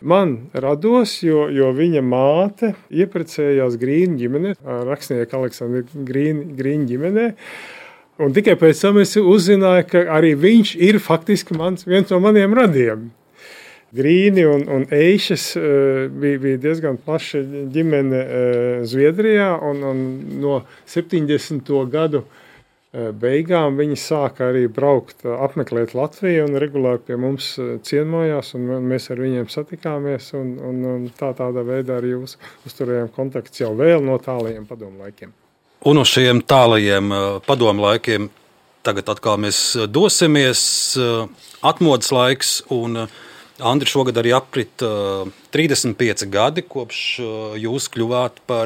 man rados, jo viņa māte ieprecējās Grīņu ģimenē, rakstnieka Aleksandra Grīņu ģimenē. Un tikai pēc tam es uzzināju, ka arī viņš ir faktiski viens no maniem radiem. Grīni un Eišas bija diezgan plaša ģimene Zviedrijā, un no 70. gadu beigām viņi sāka arī braukt, apmeklēt Latviju un regulāri pie mums ciemojās, un mēs ar viņiem satikāmies, un tādā veidā arī uzturējām kontakts jau vēl no tālajiem padomu laikiem. Un uz šiem tālajiem padomu laikiem tagad atkal mēs dosimies, atmodas laiks, un Andri, šogad arī aprit 35 gadi, kopš jūs kļuvāt par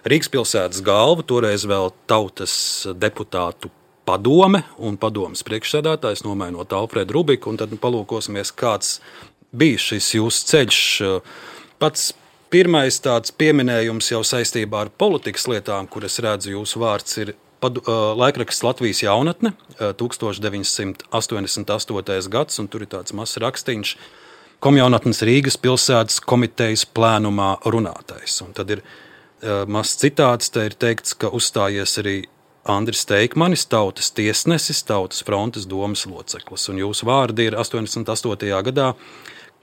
Rīgas pilsētas galvu, toreiz vēl tautas deputātu padome un padomes priekšsēdētājs, nomainot Alfredu Rubiku, un tad palūkosimies, kāds bija šis jūsu ceļš. Pats pirmais tāds pieminējums jau saistībā ar politikas lietām, kur es redzu jūsu vārds, ir laikraksts Latvijas jaunatne, 1988. gads, un tur ir tāds mazs rakstīņš Komjaunatnes Rīgas pilsētas komitejas plēnumā runātais. Un tad ir mazs citāts, te ir teikts, ka uzstājies arī Andris Teikmanis, tautas tiesnesis, tautas frontes domas loceklis. Un jūsu vārdi ir 88. gadā.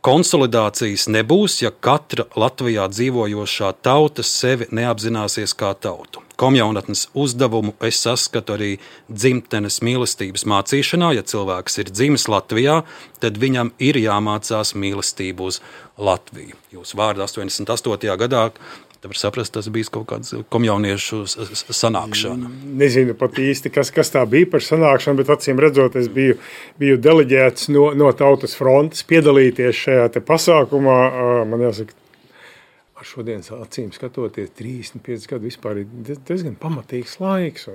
Konsolidācijas nebūs, ja katra Latvijā dzīvojošā tauta sevi neapzināsies kā tautu. Komjaunatnes uzdevumu es saskatu arī dzimtenes mīlestības mācīšanā. Ja cilvēks ir dzimis Latvijā, tad viņam ir jāmācās mīlestību uz Latviju. Jūsu vārdi 88. gadā, tā var saprast, tas bija kaut kāds komjauniešu sanākšana. Nezinu pat īsti, kas tā bija par sanākšanu, bet acīm redzot, es biju deleģēts no Tautas frontes piedalīties šajā te pasākumā. Man jāsaka, ar šodienas acīm skatoties, 35 gadu vispār ir diezgan pamatīgs laiks.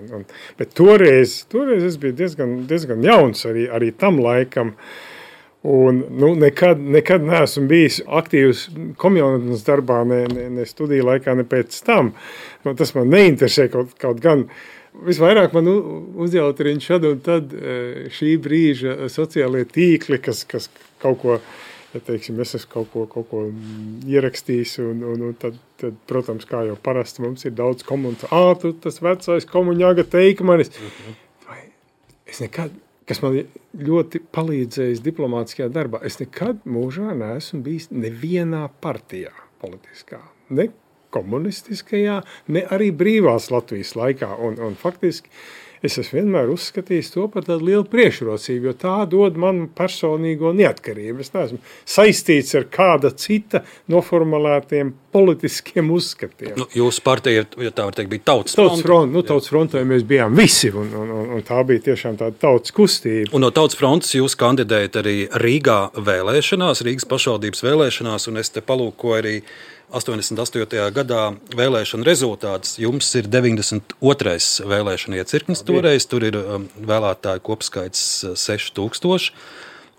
Bet toreiz es biju diezgan jauns arī tam laikam. Un, nekad neesmu bijis aktīvs komjaunatnes darbā, ne studiju laikā, ne pēc tam. Tas man neinteresē kaut gan. Visvairāk man uzjautrina šad un tad šī brīža sociālie tīkli, kas kaut ko, ja teiksim, es esmu kaut ko ierakstījis, un tad, protams, kā jau parasti mums ir daudz komentāru. Tu tas vecais komuņāga Teikmanis. Es nekad... kas man ļoti palīdzējis diplomātiskajā darbā. Es nekad mūžā neesmu bijis nevienā partijā politiskā, ne komunistiskajā, ne arī brīvās Latvijas laikā. Un faktiski es esmu vienmēr uzskatījis to par tādu lielu priekšrocību, jo tā dod man personīgo neatkarību. Es neesmu saistīts ar kāda cita noformulētiem politiskiem uzskatiem. Jūsu partija, ja tā var teikt, bija Tautas fronte. Tautas frontē mēs bijām visi, un tā bija tiešām tāda tautas kustība. Un no Tautas frontes jūs kandidējat arī Rīgā vēlēšanās, Rīgas pašvaldības vēlēšanās, un es te palūkoju arī 88. gadā vēlēšana rezultāts. Jums ir 92. vēlēšana iecirknis toreiz, tur ir vēlētāju kopskaits 6000,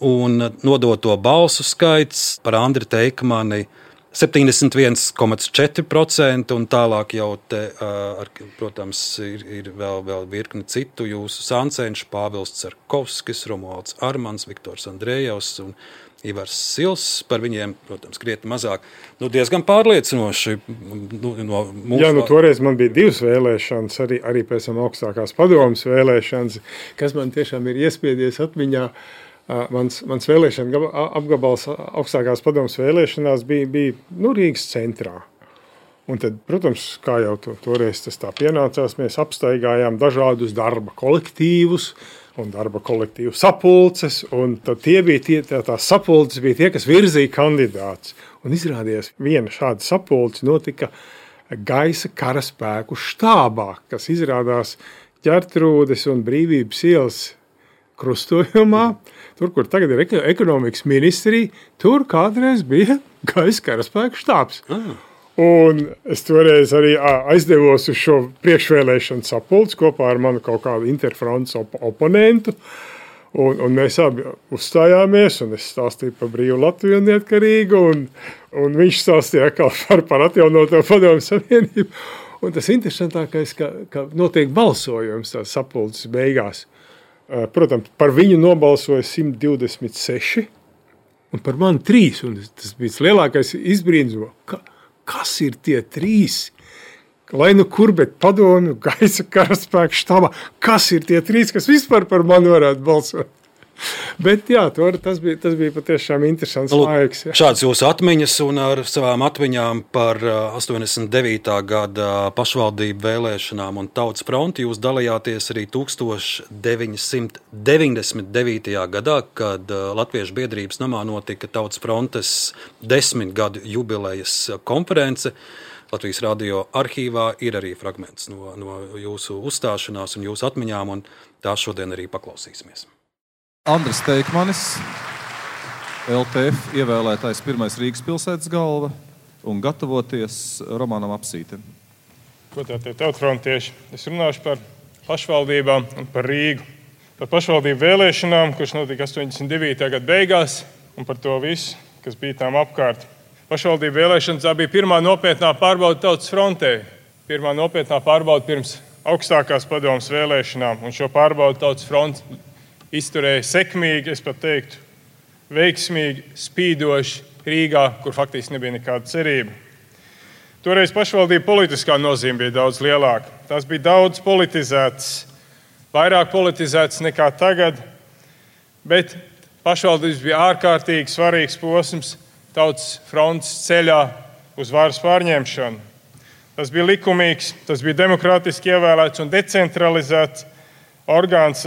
un nodoto balsu skaits par Andri Teikmani 71,4%, un tālāk jau te, protams, ir vēl virkni citu jūsu sāncenšu, Pāvils Cerkovskis, Romualds Armans, Viktors Andrejevs un Ivars Sils, par viņiem, protams, krietni mazāk. Diezgan pārliecinoši. Toreiz man bija 2 vēlēšanas, arī pēc tam augstākās padomas vēlēšanas, kas man tiešām ir iespiedies atmiņā. Mans vēlēšana apgabals augstākās padomas vēlēšanās bija Rīgas centrā. Un tad, protams, kā jau toreiz tas tā pienācās, mēs apstaigājām dažādus darba kolektīvus un darba kolektīvu sapulces, un tad tās sapulces bija tie, kas virzīja kandidātus. Un izrādījās, viena šāda sapulce notika gaisa karaspēku štābā, kas izrādās Ģertrūdes un Brīvības ielas krustojumā, tur, kur tagad ir ekonomikas ministrija, tur kādreiz bija gaisa karaspēku štābs. Un es toreiz arī aizdevos uz šo priekšvēlēšanu sapulci kopā ar manu kaut kādu interfrontes oponentu. Un mēs abi uzstājāmies, un es stāstīju par brīvu Latviju un neatkarīgu, un viņš stāstīja par atjaunoto Padomju Savienību. Un tas interesantākais, ka notiek balsojums tās sapulces beigās. Protams, par viņu nobalsoja 126, un par mani 3. Un tas bija lielākais izbrīnums. Kas ir tie 3? Lai nu kur, bet Padomju, gaisa karaspēku štabā, kas ir tie 3, kas vispār par mani varētu balsot? Bet jā, tas bija patiešām interesants laiks. Jā. Šāds jūsu atmiņas un ar savām atmiņām par 89. gada pašvaldību vēlēšanām un Tautas fronti jūs dalījāties arī 1999. gadā, kad Latviešu biedrības namā notika Tautas frontes 10 gadu jubilejas konference. Latvijas radio arhīvā ir arī fragments no jūsu uzstāšanās un jūsu atmiņām, un tās šodien arī paklausīsimies. Andris Teikmanis, LTF ievēlētais pirmais Rīgas pilsētas galva un gatavoties romānam Apsīte. Godātie tautfrontieši, es runāšu par pašvaldībām un par Rīgu. Par pašvaldību vēlēšanām, kuras notika 89. gada beigās, un par to visu, kas bija tām apkārt. Pašvaldību vēlēšanas tā bija pirmā nopietnā pārbauda Tautas frontē. Pirmā nopietnā pārbauda pirms augstākās padomas vēlēšanām, un šo pārbaudu Tautas fronte izturēja sekmīgi, es pat teiktu, veiksmīgi, spīdoši Rīgā, kur faktiski nebija nekāda cerība. Toreiz pašvaldība politiskā nozīme bija daudz lielāka. Tās bija daudz politizētas, vairāk politizētas nekā tagad, bet pašvaldības bija ārkārtīgi svarīgs posms Tautas frontes ceļā uz varas pārņemšanu. Tas bija likumīgs, tas bija demokrātiski ievēlēts un decentralizēts orgāns.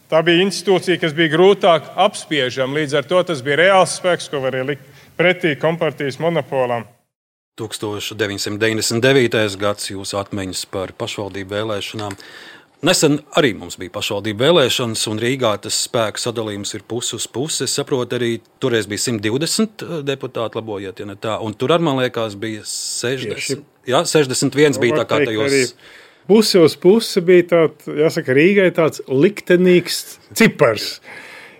Tā bija institūcija, kas bija grūtāk apspiežama, līdz ar to tas bija reāls spēks, ko varēja likt pretī kompartijas monopolam. 1999. gads jūsu atmiņas par pašvaldību vēlēšanām. Nesen arī mums bija pašvaldību vēlēšanas, un Rīgā tas spēku sadalījums ir pusi uz pusi. Es saprotu, arī toreiz bija 120 deputāti, labojiet, ja ne tā, un tur, man liekas, bija 60. Jā, 61 bija tā kā tajos... Pusi uz pusi bija tāds, jāsaka, Rīgai tāds liktenīgs cipars,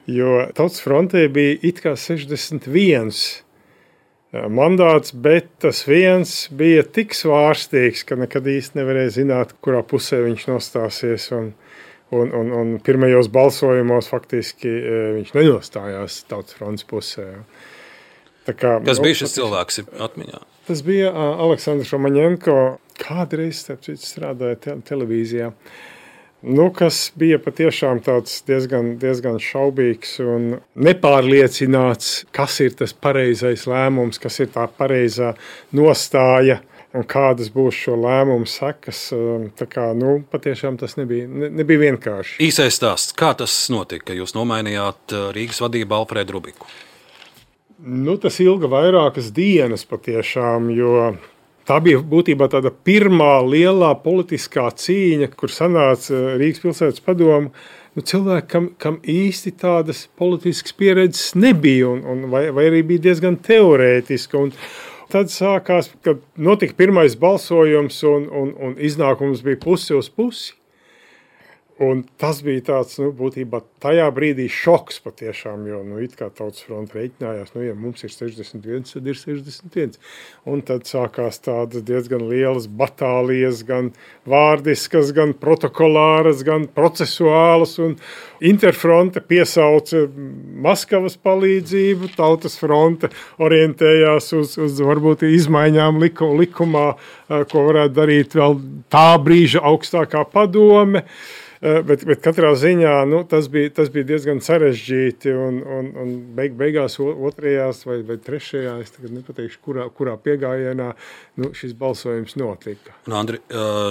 jo Tautas frontē bija it kā 61 mandāts, bet tas viens bija tik svārstīgs, ka nekad īsti nevarēja zināt, kurā pusē viņš nostāsies, un pirmajos balsojumos faktiski viņš nenostājās Tautas frontes pusē. Kas bija šis cilvēks atmiņā? Tas bija Aleksandrs Romaņenko, kādreiz, starp citu, strādāja televīzijā, kas bija patiešām tāds diezgan šaubīgs un nepārliecināts, kas ir tas pareizais lēmums, kas ir tā pareizā nostāja un kādas būs šo lēmumu sekas. Patiešām tas nebija vienkārši. Īsais stāsts, kā tas notika, ka jūs nomainījāt Rīgas vadību Alfredu Rubiku? Tas ilga vairākas dienas patiešām, jo tā bija būtībā tāda pirmā lielā politiskā cīņa, kur sanāca Rīgas pilsētas padoma. Cilvēki, kam īsti tādas politiskas pieredzes nebija, vai arī bija diezgan teorētiska. Un tad sākās, kad notika pirmais balsojums un iznākums bija pusi uz pusi. Un tas bija tāds, būtībā tajā brīdī šoks patiešām, jo, it kā Tautas fronte reiķinājās, ja mums ir 61, tad ir 61. Un tad sākās tādas diezgan lielas batālijas, gan vārdiskas, gan protokolāras, gan procesuālas, un Interfronte piesauca Maskavas palīdzību, Tautas fronte orientējās uz varbūt izmaiņām likumā, ko varētu darīt vēl tā brīža augstākā padome. Bet katrā ziņā tas bija diezgan sarežģīti, un beigās otrajās vai trešajā, es tagad nepateikšu, kurā piegājienā šis balsojums notika. Andri,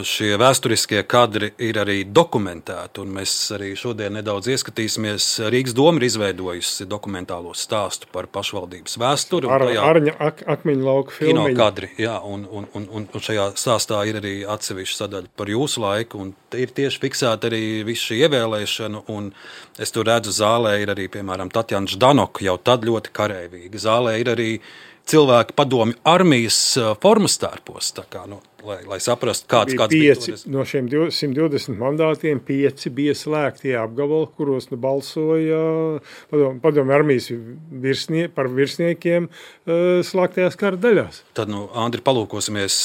šie vēsturiskie kadri ir arī dokumentēti, un mēs arī šodien nedaudz ieskatīsimies. Rīgas doma ir izveidojusi dokumentālo stāstu par pašvaldības vēsturi. Arņa akmeņu lauku filmiņu. Kino kadri, jā, un šajā stāstā ir arī atsevišķa sadaļa par jūsu laiku, un ir tieši fiksēta arī visu šī ievēlēšana, un es tur redzu, zālē ir arī, piemēram, Tatjana Ždanoka, jau tad ļoti kareivīga. Zālē ir arī cilvēki padomju armijas formas tērpos, tā kā, lai saprastu, kāds bija toreiz. No šiem 120 mandātiem 5 bija slēgti apgabali, kuros balsoja padomju armijas par virsniekiem slēgtajās kara daļās. Tad, Andri, palūkosimies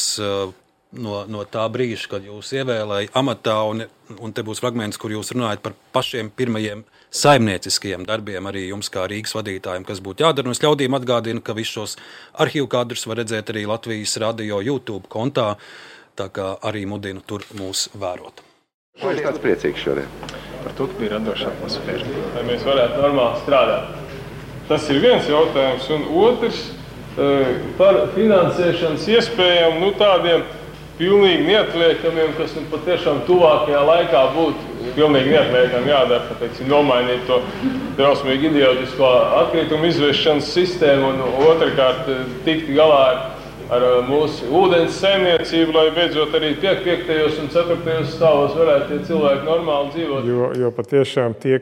no tā brīža, kad jūs ievēlēja amatā, un te būs fragments, kur jūs runājat par pašiem pirmajiem saimnieciskajiem darbiem, arī jums kā Rīgas vadītājiem, kas būtu jādara. Un es ļaudīm atgādinu, ka visus šos arhīvu kadrus var redzēt arī Latvijas radio YouTube kontā, tā kā arī mudinu tur mūs vērot. Vai es tāds priecīgs šodien? Par to, ka bija radoša atmosfēra. Lai mēs varētu normāli strādāt. Tas ir viens jautājums, un otrs par finansēšanas iespējām, tādiem pilnīgi neatliekamiem, kas patiešām tuvākajā laikā būtu pilnīgi neatliekami jādara, ka, teiksim, nomainīt to drausmīgi idiotisko atkritumu izvešanas sistēmu un otrkārt tikt galā ar mūsu ūdens saimniecību, lai beidzot arī 5. un 4. stāvos varētu tie cilvēki normāli dzīvot. Jo patiešām tie,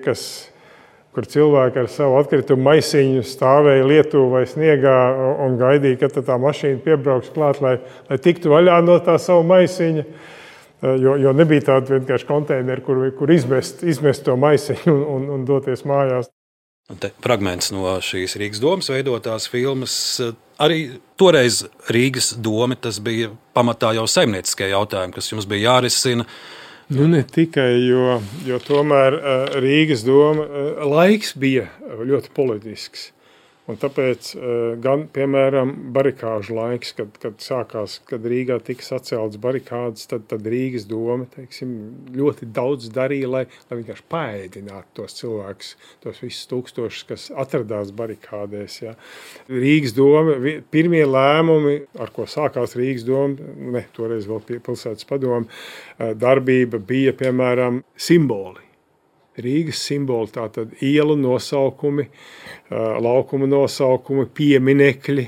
kur cilvēki ar savu atkritumu maisiņu stāvēja Lietuvā vai sniegā un gaidīja, kad tā mašīna piebrauks klāt, lai tiktu vaļā no tā savu maisiņa. Jo nebija tāda vienkārši konteineri, kur izmest to maisiņu un doties mājās. Te fragments no šīs Rīgas domas veidotās filmas. Arī toreiz Rīgas doma, tas bija pamatā jau saimnieciskie jautājumi, kas jums bija jārisina. Ne tikai, jo tomēr Rīgas doma laiks bija ļoti politisks. Un tāpēc gan, piemēram, barikāžu laiks, kad Rīgā tika saceltas barikādas, tad Rīgas doma, teiksim, ļoti daudz darīja, lai vienkārši paēdinātu tos cilvēkus, tos visus tūkstošus, kas atradās barikādēs. Ja. Rīgas doma, pirmie lēmumi, ar ko sākās Rīgas doma, toreiz vēl pilsētas padoma, darbība bija, piemēram, simboli. Rīgas simboli, tātad ielu nosaukumi, laukuma nosaukumi, pieminekļi.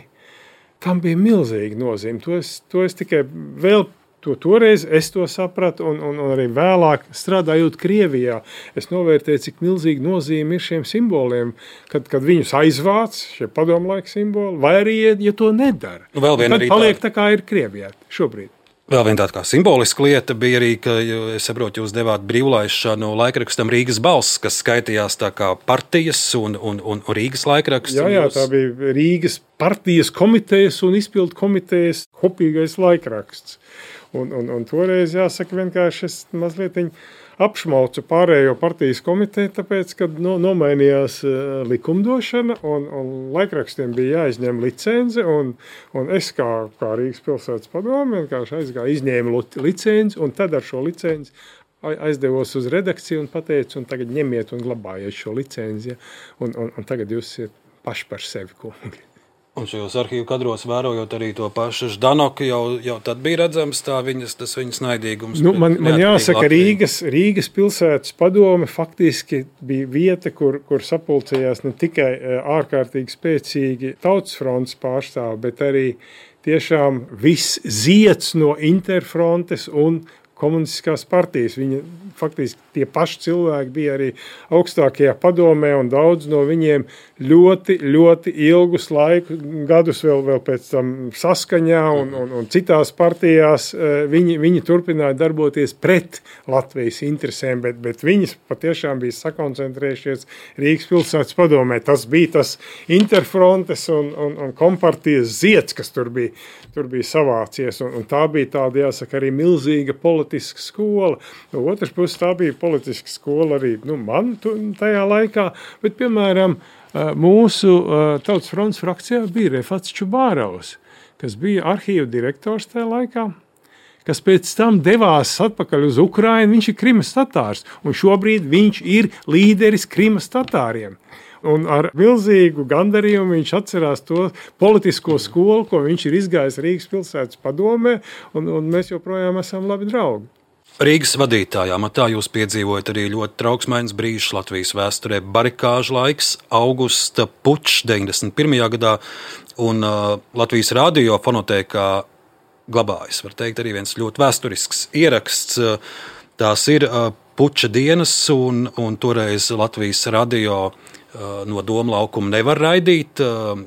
Tam bija milzīga nozīme. To es tikai vēl toreiz es to sapratu un arī vēlāk strādājot Krievijā. Es novērtēju, cik milzīga nozīme ir šiem simboliem, kad viņus aizvāc, šie padomlaika simboli, vai arī, ja to nedara. Tad paliek tā, kā ir Krievijā šobrīd. Vēl viena tāda kā simboliska lieta bija arī, ka, es saprotu, jūs devāt brīvlaišanu laikrakstam Rīgas balss, kas skaitījās tā kā partijas un Rīgas laikraksts. Jā, tā bija Rīgas partijas komitejas un izpildu komitejas kopīgais laikraksts. Un toreiz, jāsaka, vienkārši es mazliet apšmaucu pārējo partijas komiteju, tāpēc, kad nomainījās likumdošana un laikrakstiem bija jāizņem licence, un es kā Rīgas pilsētas padome vienkārši aizgāju, izņēmu licenci, un tad ar šo licenci aizdevos uz redakciju un pateicu, un tagad ņemiet un glabājiet šo licenci, un tagad jūs esat paši par sevi kungi. Un šajos arhīvu kadros vērojot arī to pašu Ždanoku, jau tad bija redzams tas viņas naidīgums. Man jāsaka, Rīgas pilsētas padome faktiski bija vieta, kur sapulcējās ne tikai ārkārtīgi spēcīgi Tautas frontes pārstāvi, bet arī tiešām viss zieds no Interfrontes un komunistiskās partijas. Viņa faktiski tie paši cilvēki bija arī augstākajā padomē, un daudz no viņiem ļoti, ļoti ilgus gadus vēl pēc tam Saskaņā un citās partijās viņi turpināja darboties pret Latvijas interesēm, bet viņas patiešām bija sakoncentrējušies Rīgas pilsētas padomē. Tas bija tas Interfrontes un kompartijas zieds, kas tur bija savācies, un tā bija tāda, jāsaka, arī milzīga politiska skola. No otras puses, tā bija politiska skola arī man tajā laikā, bet, piemēram, mūsu Tautas frontes frakcijā bija Refats Čubārovs, kas bija arhīvu direktors tajā laikā, kas pēc tam devās atpakaļ uz Ukrainu. Viņš ir Krimas tatārs, un šobrīd viņš ir līderis Krimas tatāriem. Un ar milzīgu gandarījumu viņš atcerās to politisko skolu, ko viņš ir izgājis Rīgas pilsētas padomē, un mēs joprojām esam labi draugi. Rīgas vadītājā matā jūs piedzīvojat arī ļoti trauksmains brīžs Latvijas vēsturē, barikāžu laiks, augusta pučs 91. gadā, un Latvijas radio fonotēkā glabājas, var teikt, arī viens ļoti vēsturisks ieraksts. Tās ir puča dienas, un toreiz Latvijas radio no Doma laukuma nevar raidīt.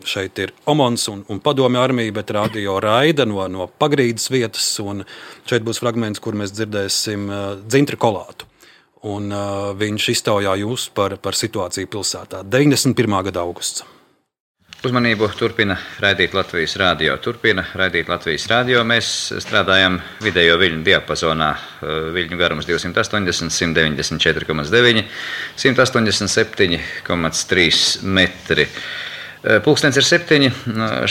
Šeit ir Omons un Padomju armija, bet radio raida no Pagrīdes vietas, un šeit būs fragments, kur mēs dzirdēsim Dzintri Kolātu. Un viņš iztaujā jūs par situāciju pilsētā. 91. gada augusts. Uzmanību turpina raidīt Latvijas radio. Mēs strādājam vidējo viļņu diapazonā. Viļņu garums 280, 194,9, 187,3 metri. Pulkstens ir 7.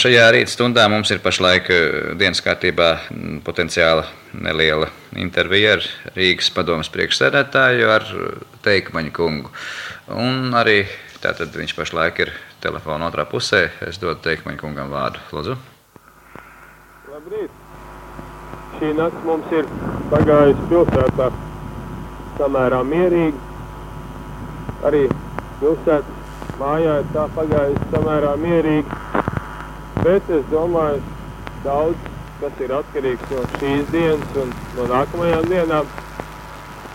Šajā rīta stundā mums ir pašlaik dienas kārtībā potenciāla neliela intervija ar Rīgas padomes priekšsēdētāju, ar Teikmaņa kungu. Un arī tātad viņš pašlaik ir telefona otrā pusē. Es dodu Teikmaņa kungam vārdu. Lūdzu. Labrīt. Šī nakts mums ir pagājusi pilsētā samērā mierīgi. Arī pilsētas mājā ir tā pagājusi samērā mierīgi. Bet es domāju, daudz, kas ir atkarīgs no šīs dienas un no nākamajām dienām.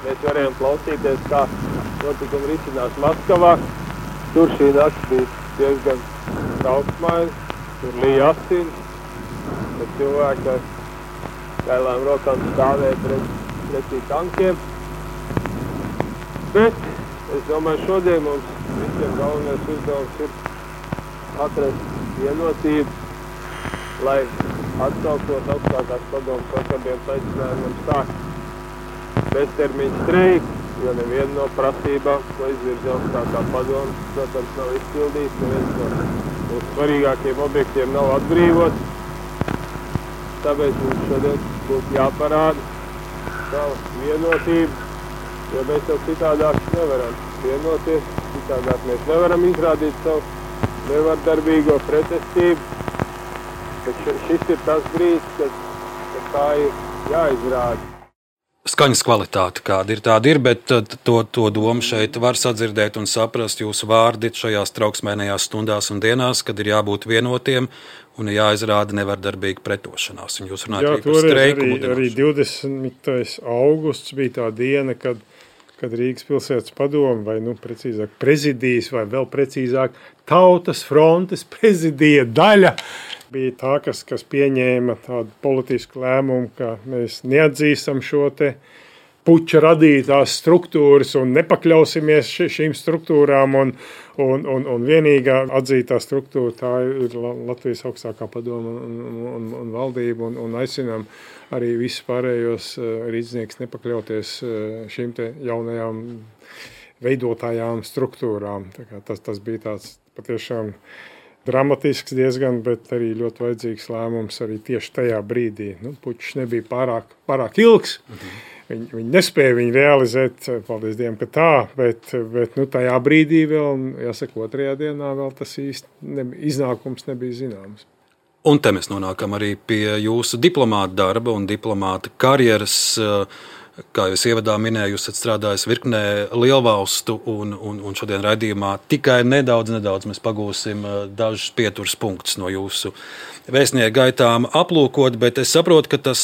Mēs varējām klausīties, kā notikumi risinās Maskavā. Tur šī nakts bija diezgan trauksmaina, tur lija asins, bet cilvēki ar kailām rokām stāvēja pretī tankiem. Bet es domāju, šodien mums visiem galvenais uzdevums ir atrast vienotību, lai atsaukot augstākās padomes vakardienas aicinājumiem sākt beztermiņu streiku. Jo neviena no prasībām, ko izvirza augstākā padome, protams, nav izpildīts, neviens no mūsu svarīgākiem objektiem nav atbrīvots. Tāpēc mums šodien būtu jāparāda savu vienotību, jo mēs jau citādāk nevaram vienoties, citādāk mēs nevaram izrādīt savu nevardarbīgo pretestību. Bet šis ir tas brīdis, kad tā ir jāizrāda. Skaņas kvalitāte, kāda ir tāda ir, bet to domu šeit var sadzirdēt un saprast jūsu vārdi šajās trauksmēnajās stundās un dienās, kad ir jābūt vienotiem un jāizrāda nevardarbīga pretošanās. Un jūs runājat arī par streiku. Arī 20. augusts bija tā diena, kad Rīgas pilsētas padome, vai precīzāk prezidijas, vai vēl precīzāk Tautas frontes prezidija daļa, bija tā, kas pieņēma tādu politisku lēmumu, ka mēs neatzīstam šo te puča radītās struktūras un nepakļausimies šīm struktūrām, un vienīgā atzītā struktūra tā ir Latvijas augstākā padoma un valdība, un aicinām arī visus pārējos rīdznieks nepakļauties šīm te jaunajām veidotājām struktūrām. Tā kā tas bija tāds patiešām dramatisks diezgan, bet arī ļoti vajadzīgs lēmums arī tieši tajā brīdī. Pučs nebija pārāk ilgs. Viņi nespēja viņu realizēt, paldies Dievam, ka tā, bet tajā brīdī vēl, jāsaka, otrajā dienā vēl tas īsti iznākums nebija zināms. Un te mēs nonākam arī pie jūsu diplomāta darba un diplomāta karjeras. Kā jūs ievadā minēju, jūs esat strādājis virknē lielvalstu, un šodien raidījumā tikai nedaudz mēs pagūsim dažus pieturas punktus no jūsu vēstnieku gaitām aplūkot, bet es saprotu, ka tas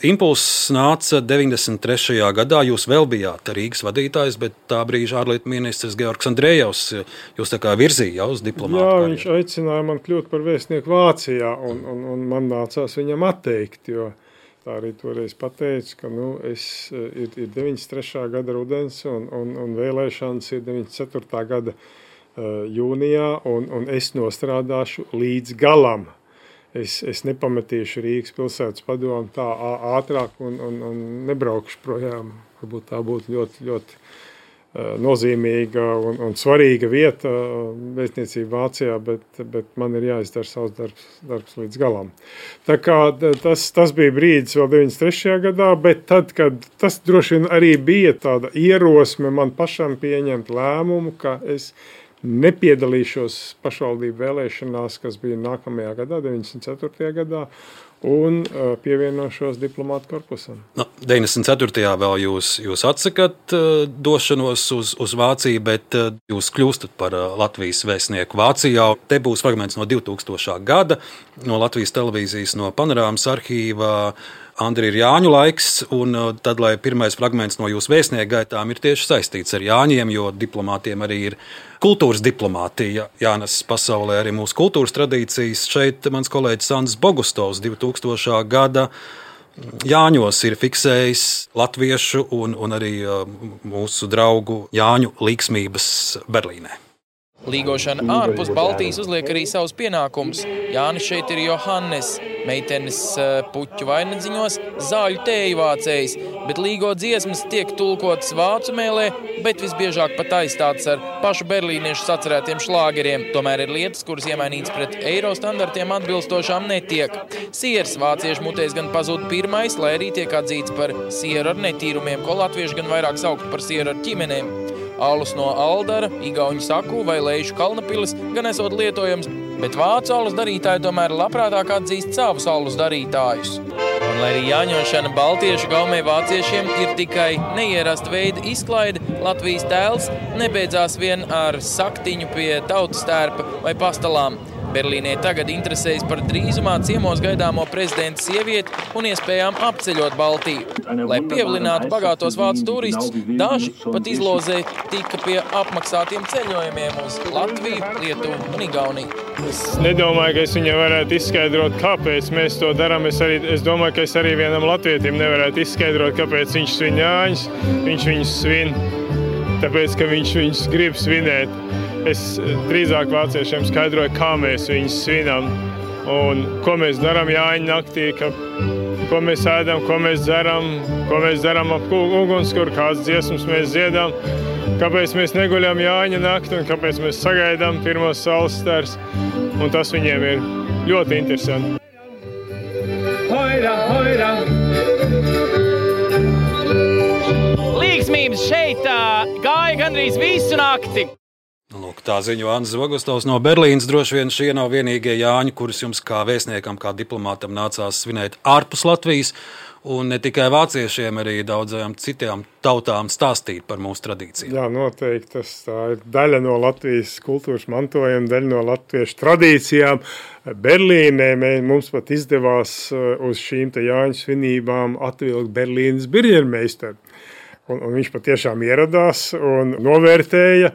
impulss nāca 93. gadā. Jūs vēl bijāt Rīgas vadītājs, bet tā brīža ārlietu ministrs Georgs Andrejevs jūs tā kā virzīja uz diplomātu karjeru. Jā, viņš aicināja man kļūt par vēstnieku Vācijā, un man nācās viņam atteikt, jo tā arī toreiz pateica, ka ir 93. gada rudens un vēlēšanas ir 94. gada jūnijā, un es nostrādāšu līdz galam. Es nepametīšu Rīgas pilsētas padomu tā ātrāk un nebraukšu projām. Varbūt tā būtu ļoti, ļoti nozīmīga un svarīga vieta vēstniecība Vācijā, bet man ir jāizdara savs darbs līdz galam. Tā kā tas bija brīdis vēl 93. gadā, bet tad, kad tas droši vien arī bija tāda ierosme man pašam pieņemt lēmumu, ka es nepiedalīšos pašvaldību vēlēšanās, kas bija nākamajā gadā, 94. gadā, un pievienošos diplomātu korpusam. 94. vēl jūs atsakat došanos uz Vāciju, bet jūs kļūstat par Latvijas vēstnieku Vācijā. Te būs fragments no 2000. gada, no Latvijas televīzijas, no Panorāmas arhīvā. Andri, ir Jāņu laiks, un tad, lai pirmais fragments no jūsu vēstnieku gaitām ir tieši saistīts ar Jāņiem, jo diplomātiem arī ir kultūras diplomātija, jānes pasaulē arī mūsu kultūras tradīcijas. Šeit mans kolēģis Sandis Bogustovs 2000. Gada Jāņos ir fiksējis latviešu un arī mūsu draugu Jāņu līksmības Berlīnē. Līgošana ārpus Baltijas uzliek arī savus pienākumus. Jānis šeit ir Johannes, meitenes puķu vainadziņos, zāļu tēju vācējs, bet līgo dziesmas tiek tulkotas vācu mēlē, bet visbiežāk pat aizstātas ar pašu berlīniešu sacerētiem šlāgeriem. Tomēr ir lietas, kuras iemainītas pret eiro standartiem atbilstošām netiek. Siers vāciešu mutēs gan pazūd pirmais, lai arī tiek atzīts par sieru ar netīrumiem, ko latvieši gan vairāk saukt par sieru ar ķimenēm. Alus no Aldara, igauņu saku vai Leišu kalnapilis gan esot lietojams, bet vācu alus darītāji tomēr labprātāk atzīst savus alus darītājus. Un lai arī jāņošana baltiešu gaumē vāciešiem ir tikai neierasta veida izklaide, Latvijas tēls nebeidzās vien ar saktiņu pie tautas tērpa vai pastalām. Berlīnē tagad interesējas par drīzumā ciemos gaidāmo prezidenta sievieti un iespējām apceļot Baltiju. Lai pievilinātu bagātos vācu turistus, daži pat izlozē tika pie apmaksātiem ceļojumiem uz Latviju, Lietuvu un Igauniju. Es nedomāju, ka es viņai varētu izskaidrot, kāpēc mēs to darām. Es domāju, ka es arī vienam latvietim nevarētu izskaidrot, kāpēc viņš svin Jāņus. Viņš viņus svin, tāpēc, ka viņš viņus grib svinēt. Es drīzāk vāciešiem skaidroju, kā mēs viņus svinam un ko mēs darām Jāņu naktī, ko mēs ēdam, ko mēs dzeram ap ugunskura, kādas dziesmas mēs dziedam, kāpēc mēs neguļam Jāņa nakti un kāpēc mēs sagaidām pirmos saules stars. Un tas viņiem ir ļoti interesanti. Hoira, hoira! Līgsmības šeit gāja gandrīz visu nakti. Lūk, tā ziņo Andris Bogustovs no Berlīnas. Droši vien šie nav vienīgie Jāņi, kurus jums kā vēstniekam, kā diplomātam nācās svinēt ārpus Latvijas. Un ne tikai vāciešiem, arī daudzajām citām tautām stāstīt par mūsu tradīcijām. Jā, noteikti. Tā ir daļa no Latvijas kultūras mantojuma, daļa no latviešu tradīcijām. Berlīnē mums pat izdevās uz šīm Jāņu svinībām atvilkt Berlīnas birģermeistaru. Un viņš patiešām ieradās un novērtēja.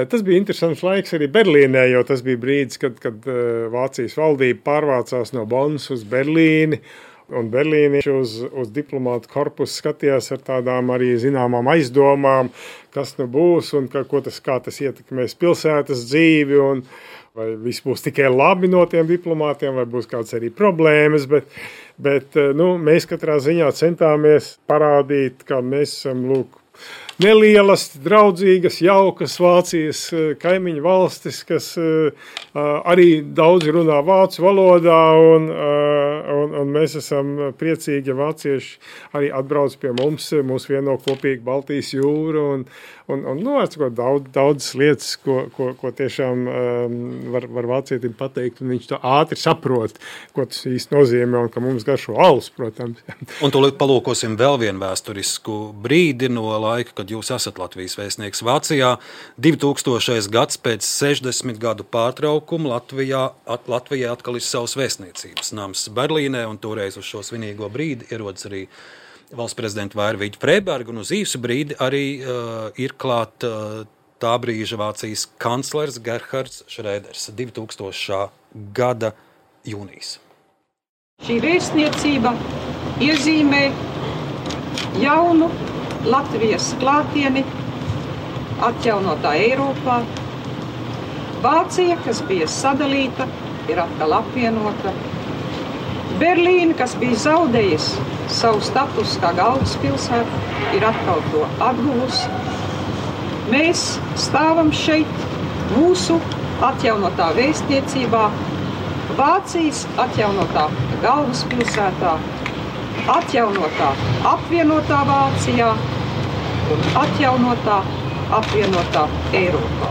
Tas bija interesants laiks arī Berlīnē, jo tas bija brīdis, kad Vācijas valdība pārvācās no Bonnas uz Berlīni. Un berlīnieši uz diplomātu korpusu skatījās ar tādām arī zināmām aizdomām, kas nu būs un kā tas ietekmēs pilsētas dzīvi un vai viss būs tikai labi no tiem diplomātiem, vai būs kāds arī problēmas, bet mēs katrā ziņā centāmies parādīt, ka mēs esam, nelielas, draudzīgas, jaukas Vācijas kaimiņu valstis, kas arī daudz runā vācu valodā, un mēs esam priecīgi, ja vācieši arī atbrauc pie mums vieno kopīgi Baltijas jūru, un daudzas lietas, ko tiešām var vācietim pateikt, un viņš to ātri saprot, ko tas īsti nozīmē, un ka mums garšo alus, protams. Un tūlīt palūkosim vēl vienu vēsturisku brīdi no laika, kad jūs esat Latvijas vēstnieks Vācijā. 2000. gads pēc 60 gadu pārtraukuma Latvijā atkal ir savs vēstniecības nams Berlīnē, un toreiz uz šo svinīgo brīdi ierodas arī valsts prezidenta Vaira Vīķa-Freiberga, un uz īsu brīdi arī ir klāt tā brīža Vācijas kanclers Gerhards Schröders 2000. gada jūnijas. Šī vēstniecība iezīmē jaunu Latvijas klātieni atjaunotā Eiropā. Vācija, kas bija sadalīta, ir atkal apvienota. Berlīna, kas bija zaudējusi savu statusu kā galvaspilsēta, ir atkal to atguvusi. Mēs stāvam šeit mūsu atjaunotā vēstniecībā, Vācijas atjaunotā galvaspilsētā, atjaunotā apvienotā Vācijā un atjaunotā apvienotā Eiropā.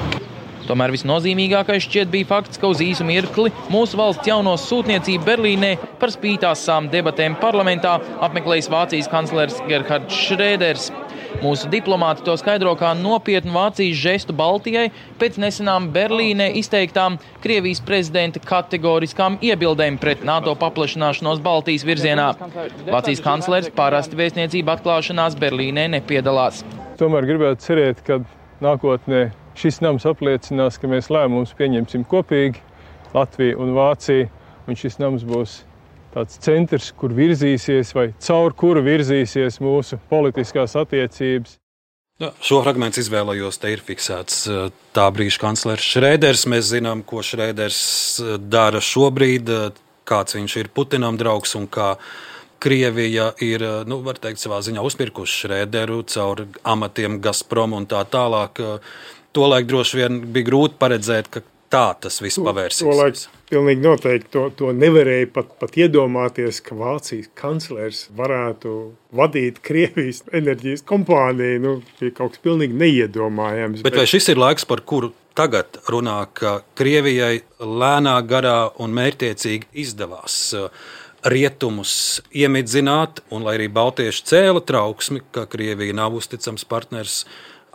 Tomēr visnozīmīgākais šķiet bija fakts, ka uz īsu mirkli mūsu valsts jauno sūtniecību Berlīnē par spītāsām debatēm parlamentā apmeklējis Vācijas kanclers Gerhards Schröders. Mūsu diplomāti to skaidro kā nopietnu Vācijas žestu Baltijai pēc nesenām Berlīnē izteiktām Krievijas prezidenta kategoriskām iebildēm pret NATO paplašināšanos Baltijas virzienā. Vācijas kanclers parasti vēstniecību atklāšanās Berlīnē nepiedalās. Tomēr gribētu cerēt, ka nākotnē šis nams apliecinās, ka mēs lēmumus pieņemsim kopīgi, Latvija un Vācija, un šis nams būs tāds centrs, kur virzīsies vai caur kuru virzīsies mūsu politiskās attiecības. Šo fragmentu izvēlējos, te ir fiksēts tā brīža kanclers Šrēders. Mēs zinām, ko Šrēders dara šobrīd, kāds viņš ir Putinam draugs un kā Krievija ir, var teikt, savā ziņā uzpirkuši Šrēderu caur amatiem Gazprom un tā tālāk. Tolaik droši vien bija grūti paredzēt, ka tā tas viss pavērsīsies. Tolaik pilnīgi noteikti to nevarēja pat iedomāties, ka Vācijas kanclers varētu vadīt Krievijas enerģijas kompāniju. Bija kaut kas pilnīgi neiedomājams. Bet vai šis ir laiks, par kuru tagad runā, ka Krievijai lēnā garā un mērķtiecīgi izdevās rietumus iemidzināt, un lai arī baltieši cēla trauksmi, ka Krievija nav uzticams partners,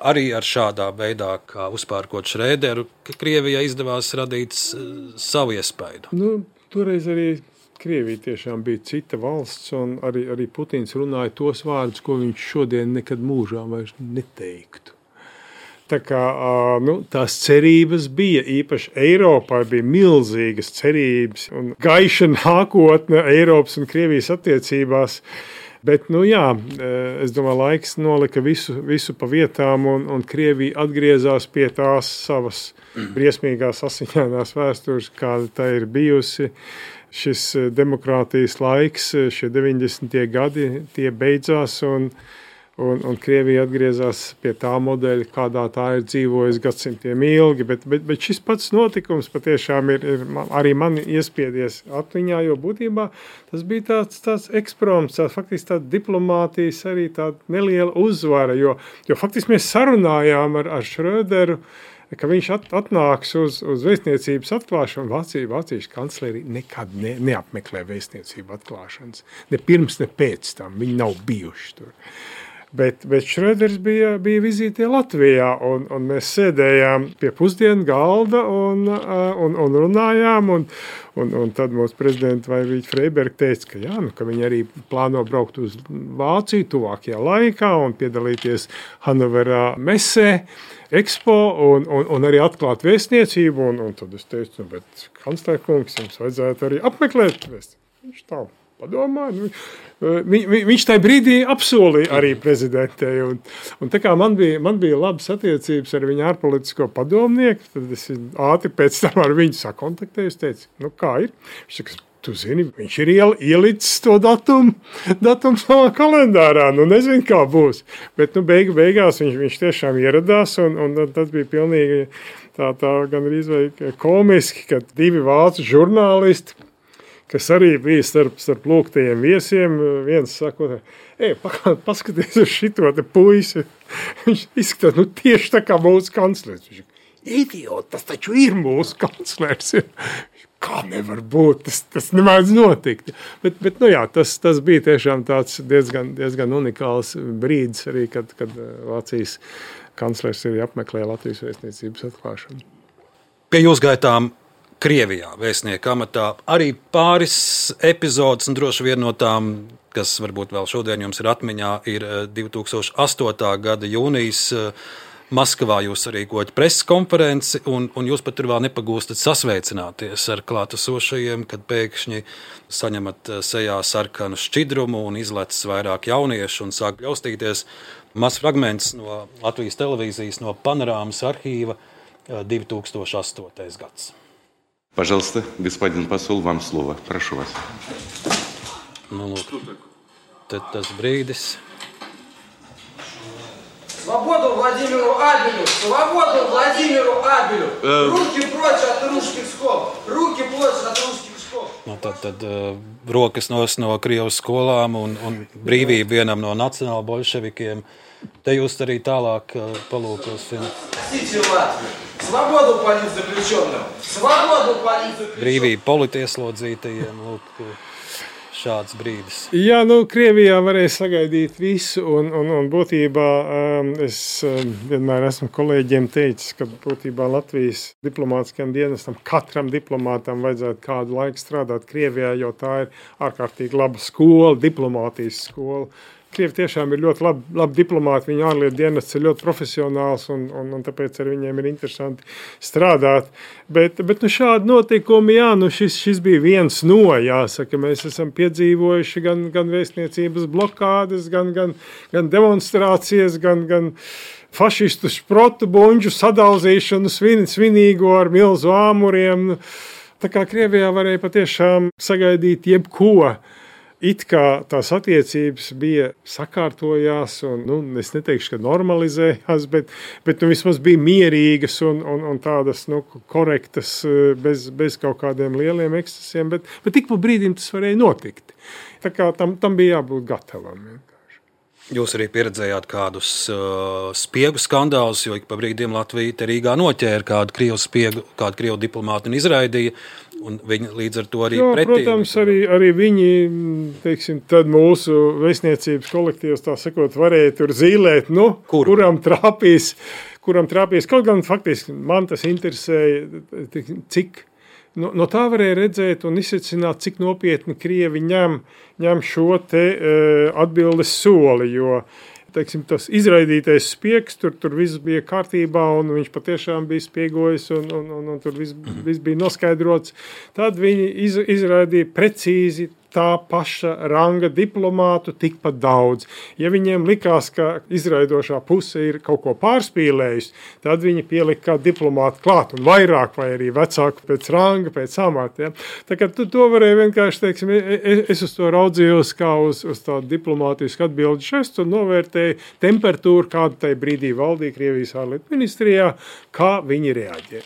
arī ar šādā veidā, kā uzpērkot Šrēderu, ka Krievijai izdevās radīt savu iespaidu? Toreiz arī Krievija tiešām bija cita valsts, un arī Putins runāja tos vārdus, ko viņš šodien nekad mūžā vairs neteiktu. Tā kā tās cerības bija, īpaši Eiropā bija milzīgas cerības un gaiša nākotne Eiropas un Krievijas attiecībās. Bet, es domāju, laiks nolika visu pa vietām, un Krievija atgriezās pie tās savas briesmīgās asiņainās vēstures, kāda tā ir bijusi. Šis demokrātijas laiks, šie 90. gadi, tie beidzās, un Krievija atgriezās pie tā modeļa, kādā tā ir dzīvojusi gadsimtiem ilgi. Bet šis pats notikums patiešām ir arī mani iespiedies atmiņā, jo būtībā tas bija tāds eksproms, faktiski tāda diplomātijas arī tāda neliela uzvara, jo faktiski mēs sarunājām ar Šrēderu, ka viņš atnāks uz vēstniecības atklāšanu. Vācijas kancleri nekad neapmeklē vēstniecību atklāšanas. Ne pirms, ne pēc tam. Viņi nav bijuši tur. Bet Šrēders bija vizītē Latvijā, un mēs sēdējām pie pusdienu galda un runājām, un tad mūsu prezidenta Vairīķa Freiberga teica, ka viņi arī plāno braukt uz Vāciju tuvākajā laikā un piedalīties Hannoverā mesē, Expo un arī atklāt vēstniecību, un tad es teicu, bet kanclerkungs, jums vajadzētu arī apmeklēt vēstniecību. Viņš tā padomāja. Viņš tajā brīdī apsolīja arī prezidentei, un tā kā man bija labas attiecības ar viņu ārpolitisko padomnieku, tad es ātri pēc tam ar viņu sakontaktēju, teicu, kā ir? Viņš saka, tu zini, viņš ir ielicis to datumu savā kalendārā, nezinu, kā būs. Bet beigās viņš tiešām ieradās, un tas bija pilnīgi tā gandrīz vai komiski, ka divi vācu žurnālisti, kas arī bija starp lūgtajiem viesiem, viens saka, paskaties uz šito te puisi. Viņš izskatās, tieši tā kā mūsu kanclers. Viņš idiot, tas taču ir mūsu kanclers. Kā nevar būt, tas nemēdz notikt. Bet tas bija tiešām tāds diezgan unikāls brīdis arī, kad Vācijas kanclers arī apmeklēja Latvijas vēstniecības atklāšanu. Pie jūs gaitām Krievijā vēstnieka amatā arī pāris epizodes, un droši vien no tām, kas varbūt vēl šodien jums ir atmiņā, ir 2008. gada jūnijas. Maskavā jūs rīkojat preses konferenci, un jūs pat tur vēl nepagūstat sasveicināties ar klātesošajiem, kad pēkšņi saņemat sejā sarkanu šķidrumu un izlecis vairāk jauniešu un sāk bļaustīties. Mazs fragments no Latvijas televīzijas, no Panorāmas arhīva 2008. gads. Пожалуйста, господин посол, вам слово. Прошу вас. Lūk, tad tas brīdis. Свободу Владимиру Абелю! Свободу Владимиру Абелю! Руки прочь от русских скоб! Руки прочь от русских скоб! Tad rokas no Krievijas skolām un brīvība vienam no nacionāla bolševikiem. Te jūs arī tālāk palūkosim. Свободу политзаключенным! Свободу политзаключенным! Brīvība politieslodzītajiem. Lūk, šāds brīdis? Jā, Krievijā varēja sagaidīt visu, un būtībā es vienmēr esmu kolēģiem teicis, ka būtībā Latvijas diplomātiskajam dienestam, katram diplomātam vajadzētu kādu laiku strādāt Krievijā, jo tā ir ārkārtīgi laba skola, diplomātijas skola. Krievi tiešām ir ļoti labi diplomāti, viņu ārlietu dienests ir ļoti profesionāls, un tāpēc ar viņiem ir interesanti strādāt. Bet šādi notikumi, šis bija viens no, jāsaka, mēs esam piedzīvojuši gan vēstniecības blokādes, gan demonstrācijas, gan fašistu šprotu buņģu sadauzīšanu svinīgo ar milzu āmuriem. Tā kā Krievijā varēja patiešām sagaidīt jebko. It kā tās attiecības bija sakārtojās, un es neteikšu, ka normalizējās, bet vismaz bija mierīgas un tādas korektas, bez kaut kādiem lieliem ekscesiem, bet tik pa brīdim tas varēja notikt. Tā kā tam bija jābūt gatavam. Jūs arī pieredzējāt kādus spiegu skandālus, jo ik pa brīdiem Latvija te Rīgā noķēra kādu krievu spiegu, kādu krievu diplomātu un izraidīja. Un viņi līdz ar to arī pretī. Protams, arī viņi, teiksim, tad mūsu vēstniecības kolektīvs, tā sakot, varēja tur zīlēt, kuram trāpīs. Kaut gan faktiski man tas interesēja, cik no tā varēja redzēt un izsecināt, cik nopietni Krievi ņem šo te atbildes soli, jo teiksim, tas izraidītais spiegs, tur viss bija kārtībā, un viņš patiešām bija spiegojis, un tur viss bija noskaidrots. Tad viņi izraidīja precīzi tā paša ranga diplomātu tikpat daudz. Ja viņiem likās, ka izraidošā puse ir kaut ko pārspīlējusi, tad viņi pielika kā diplomātu klāt, un vairāk, vai arī vecāku pēc ranga, pēc amata. Ja? Tā kā to varēja vienkārši, teiksim, es uz to raudzījos kā uz tādu diplomātisku atbildi žestu un novērtēju temperatūru, kāda tai brīdī valdīja Krievijas ārlietu ministrijā, kā viņi reaģē.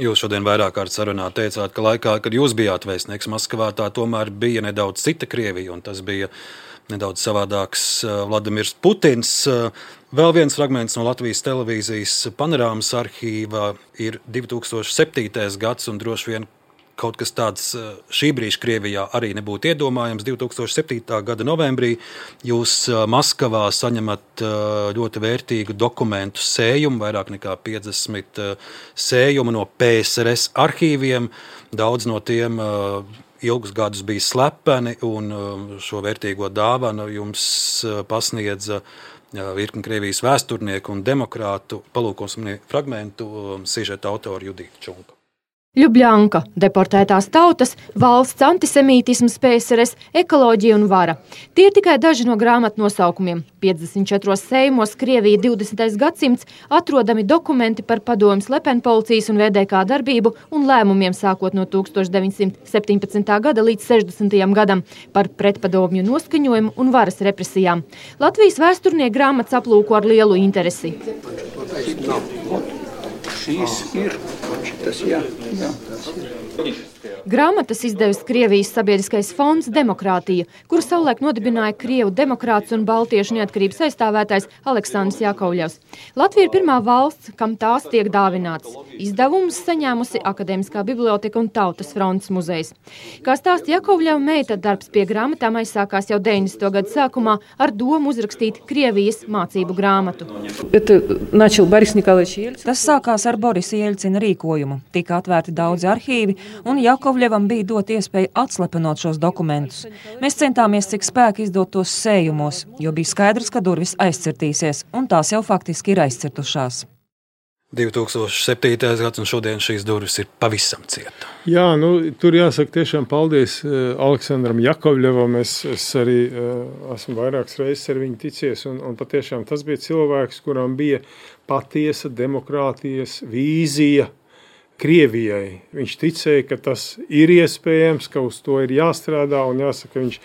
Jūs šodien vairāk kārt sarunā teicāt, ka laikā, kad jūs bijāt vēstnieks Maskavā, tā tomēr bija nedaudz cita Krievija, un tas bija nedaudz savādāks Vladimirs Putins. Vēl viens fragments no Latvijas televīzijas panorāmas arhīva ir 2007. gads, un droši vien kaut kas tāds šī brīža Krievijā arī nebūtu iedomājams. 2007. gada novembrī jūs Maskavā saņemat ļoti vērtīgu dokumentu sējumu, vairāk nekā 50 sējumu no PSRS arhīviem. Daudz no tiem ilgus gadus bija slepeni, un šo vērtīgo dāvanu jums pasniedza virkni Krievijas vēsturnieku un demokrātu. Palūkosim fragmentu sižeta autora Judita Čunka. Ljubļanka, deportētās tautas, valsts antisemītisms, PSRS, ekoloģija un vara. Tie ir tikai daži no grāmatu nosaukumiem. 54 sējumos Krievija 20. gadsimts atrodami dokumenti par padomju slepenpolicijas un VDK darbību un lēmumiem sākot no 1917. gada līdz 60. gadam par pretpadomju noskaņojumu un varas represijām. Latvijas vēsturnieku grāmatas aplūko ar lielu interesi. Šīs ir, tas jā. Grāmatas izdevis Krievijas sabiedriskais fonds Demokrātija, kuru savulaik nodibināja Krievu demokrāts un baltiešu neatkarības aizstāvētājs Aleksandrs Jakovļevs. Latvija ir pirmā valsts, kam tās tiek dāvināts. Izdevumus saņēmusi Akadēmiskā biblioteka un Tautas frontes muzejs. Kā stāsta Jakovļeva meita, darbs pie grāmatām aizsākās jau 90. gadu sākumā ar domu uzrakstīt Krievijas mācību grāmatu. Tas sākās ar Borisa Jeļcina rīkojumu. Tika atvērti daudzi arhīvi, un Jakovļevam bija dot iespēju atslepenot šos dokumentus. Mēs centāmies cik spēki izdot tos sējumos, jo bija skaidrs, ka durvis aizcirtīsies, un tās jau faktiski ir aizcirtušās. 2007. gads, un šodien šīs durvis ir pavisam cieta. Jā, tur jāsaka tiešām paldies Aleksandram Jakovļevam. Es arī esmu vairākas reizes ar viņu ticies, un patiešām tas bija cilvēks, kuram bija patiesa demokrātijas vīzija Krievijai. Viņš ticēja, ka tas ir iespējams, ka uz to ir jāstrādā, un jāsaka, viņš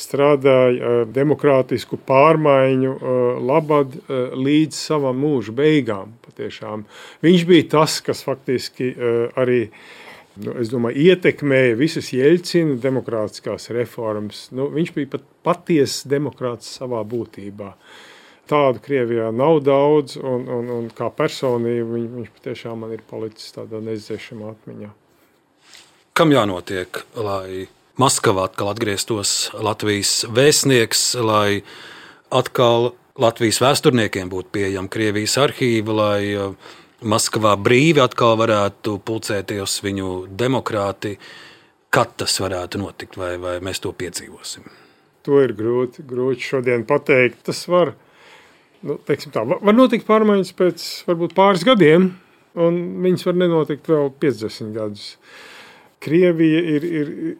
strādāja demokrātisku pārmaiņu labad līdz savam mūža beigām. Patiešām. Viņš bija tas, kas faktiski arī, es domāju, ietekmēja visas Jeļcina demokrātiskās reformas. Viņš bija patiesas demokrāts savā būtībā. Tādu Krievijā nav daudz, un kā personība viņš patiešām man ir palicis tādā neizdzēšamā atmiņā. Kam jānotiek, lai Maskavā atkal atgrieztos Latvijas vēstnieks, lai atkal Latvijas vēsturniekiem būtu pieejama Krievijas arhīva, lai Maskavā brīvi atkal varētu pulcēties viņu demokrāti. Kad tas varētu notikt, vai mēs to piedzīvosim? To ir grūti šodien pateikt. Tas var notikt pārmaiņas pēc varbūt pāris gadiem, un viņas var nenotikt vēl 50 gadus. Krievija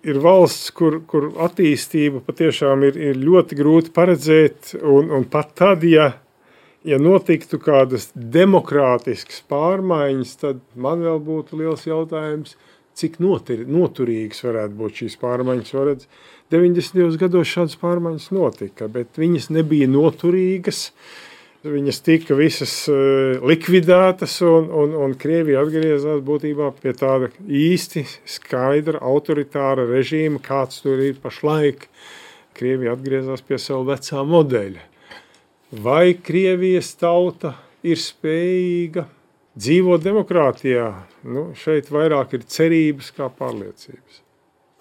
ir valsts, kur attīstība patiešām ir ļoti grūti paredzēt, un pat tad, ja notiktu kādas demokrātiskas pārmaiņas, tad man vēl būtu liels jautājums, cik noturīgas varētu būt šīs pārmaiņas. 90. gados šādas pārmaiņas notika, bet viņas nebija noturīgas. Viņas tika visas likvidētas, un Krievija atgriezās būtībā pie tāda īsti skaidra autoritāra režīma, kāds tur ir pašlaik. Krievija atgriezās pie savu vecā modeļa. Vai Krievijas tauta ir spējīga dzīvot demokrātijā? Šeit vairāk ir cerības kā pārliecības.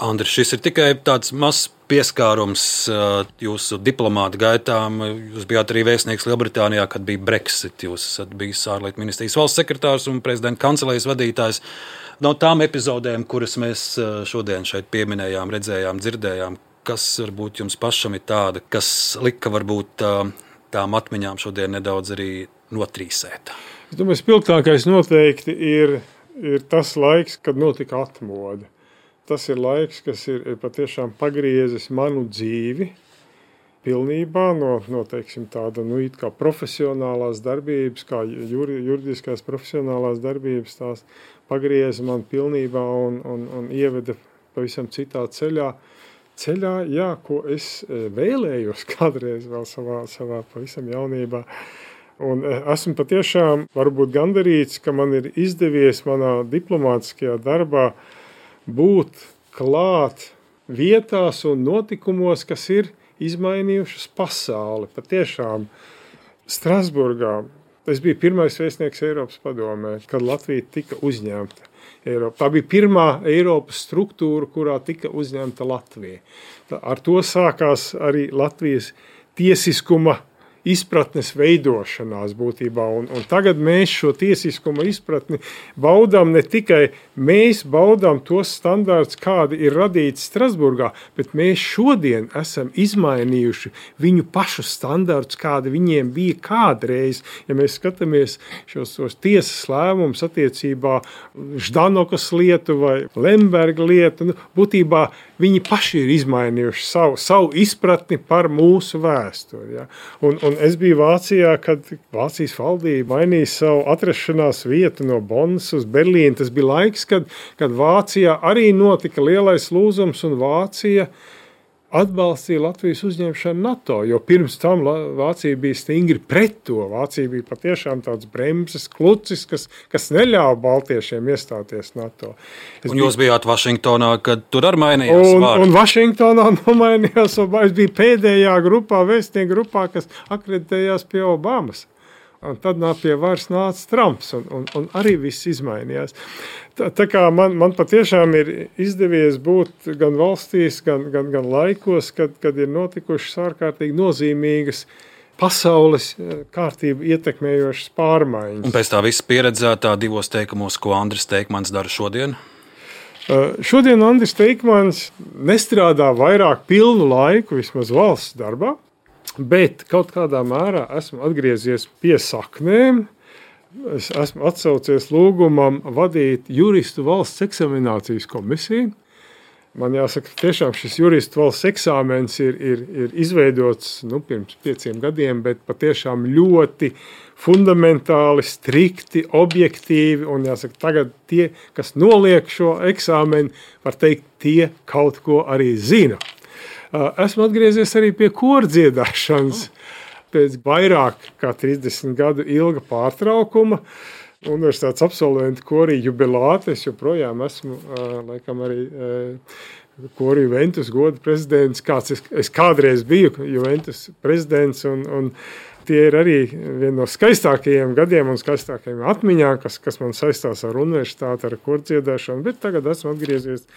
Andri, šis ir tikai tāds mazs pieskārums jūsu diplomāta gaitām. Jūs bijāt arī vēstnieks Lielbritānijā, kad bija Brexit. Jūs esat bijis ārlietu ministrijas valsts sekretārs un prezidenta kancelējas vadītājs. No tām epizodēm, kuras mēs šodien šeit pieminējām, redzējām, dzirdējām, kas varbūt jums pašam ir tāda, kas lika varbūt tām atmiņām šodien nedaudz arī notrīsēt? Es domāju, spilgtākais noteikti ir tas laiks, kad notika atmoda. Tas ir laiks, kas ir patiešām pagriezis manu dzīvi pilnībā no teiksim, tāda it kā profesionālās darbības, kā juridiskās profesionālās darbības, tās pagrieza man pilnībā un ieveda pavisam citā ceļā, ko es vēlējos kādreiz vēl savā pavisam jaunībā. Un esmu patiešām varbūt gandarīts, ka man ir izdevies manā diplomātiskajā darbā būt klāt vietās un notikumos, kas ir izmainījušas pasauli. Patiešām Strasburgā es biju pirmais vēstnieks Eiropas padomē, kad Latvija tika uzņemta Eiropā. Tā bija pirmā Eiropas struktūra, kurā tika uzņemta Latvija. Ar to sākās arī Latvijas tiesiskuma izpratnes veidošanās būtībā. Un tagad mēs šo tiesiskuma izpratni baudām ne tikai mēs baudām tos standārts, kādi ir radīti Strasburgā, bet mēs šodien esam izmainījuši viņu pašu standārts, kādi viņiem bija kādreiz. Ja mēs skatāmies šos tiesas lēmumus attiecībā Ždanokas lietu vai Lemberga lietu, būtībā viņi paši ir izmainījuši savu izpratni par mūsu vēsturi. Ja? Un es biju Vācijā, kad Vācijas valdība mainīja savu atrašanās vietu no Bonnas uz Berlīnu. Tas bija laiks, kad Vācijā arī notika lielais lūzums un Vācija atbalstīja Latvijas uzņemšanu NATO, jo pirms tam Vācija bija stingri pret to. Vācija bija patiešām tāds bremzes klucis, kas neļāva baltiešiem iestāties NATO. Jūs bijāt Vašingtonā, kad tur arī mainījās vārdi. Un Vašingtonā nomainījās, es biju pēdējā grupā, vēstnieku grupā, kas akreditējās pie Obamas. Un tad pie varas nāca Trumps, un arī viss izmainījās. Tā kā man patiešām ir izdevies būt gan valstīs, gan laikos, kad ir notikušas ārkārtīgi nozīmīgas pasaules kārtību ietekmējošas pārmaiņas. Un pēc tā visa pieredzētā divos teikumos, ko Andris Teikmans dara šodien? Šodien Andris Teikmans nestrādā vairāk pilnu laiku, vismaz valsts darbā. Bet kaut kādā mērā esmu atgriezies pie saknēm. Es esmu atsaucies lūgumam vadīt juristu valsts eksaminācijas komisiju. Man jāsaka, tiešām šis juristu valsts eksāmens ir izveidots pirms 5 gadiem, bet patiešām ļoti fundamentāli, strikti, objektīvi. Un jāsaka, tagad tie, kas noliek šo eksāmenu, var teikt, tie kaut ko arī zina. Esmu atgriezies arī pie kordziedāšanas pēc vairāk kā 30 gadu ilga pārtraukuma. Universitātes absolventu korī jubilāte. Es joprojām esmu laikam arī korī Juventus goda prezidents, kāds es kādreiz biju Juventus prezidents, un tie ir arī viena no skaistākajiem gadiem un skaistākajiem atmiņām, kas man saistās ar universitāti, ar kordziedāšanu, bet tagad esmu atgriezies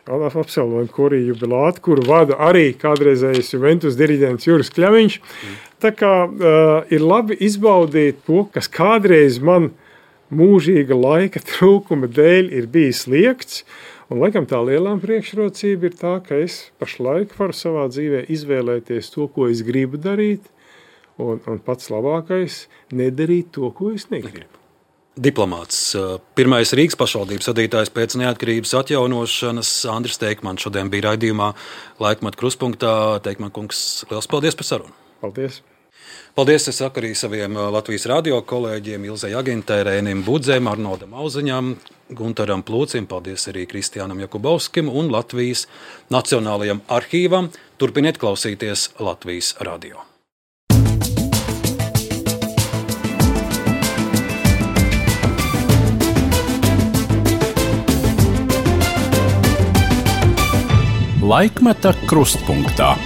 absolventu korī jubilātu, kuru vada arī kādreizējais Juventus diriģents Juris Kļaviņš. Tā kā ir labi izbaudīt to, kas kādreiz man mūžīga laika trūkuma dēļ ir bijis liekts, un laikam tā lielā priekšrocība ir tā, ka es pašlaik varu savā dzīvē izvēlēties to, ko es gribu darīt, un pats labākais nedarīt to, ko es negribu. Diplomāts, pirmais Rīgas pašvaldības vadītājs pēc neatkarības atjaunošanas, Andris Teikmans šodien bija raidījumā Laikmeta krustpunktā. Teikman kungs, liels paldies par sarunu. Paldies. Paldies, es saku arī saviem Latvijas radio kolēģiem Ilzei Agintei, Rēnim Budzēm, Arnoldam Auziņam, Guntaram Plūcim, paldies arī Kristiānam Jakubovskim un Latvijas Nacionālajam arhīvam. Turpiniet klausīties Latvijas radio. Laikmeta krustpunktā.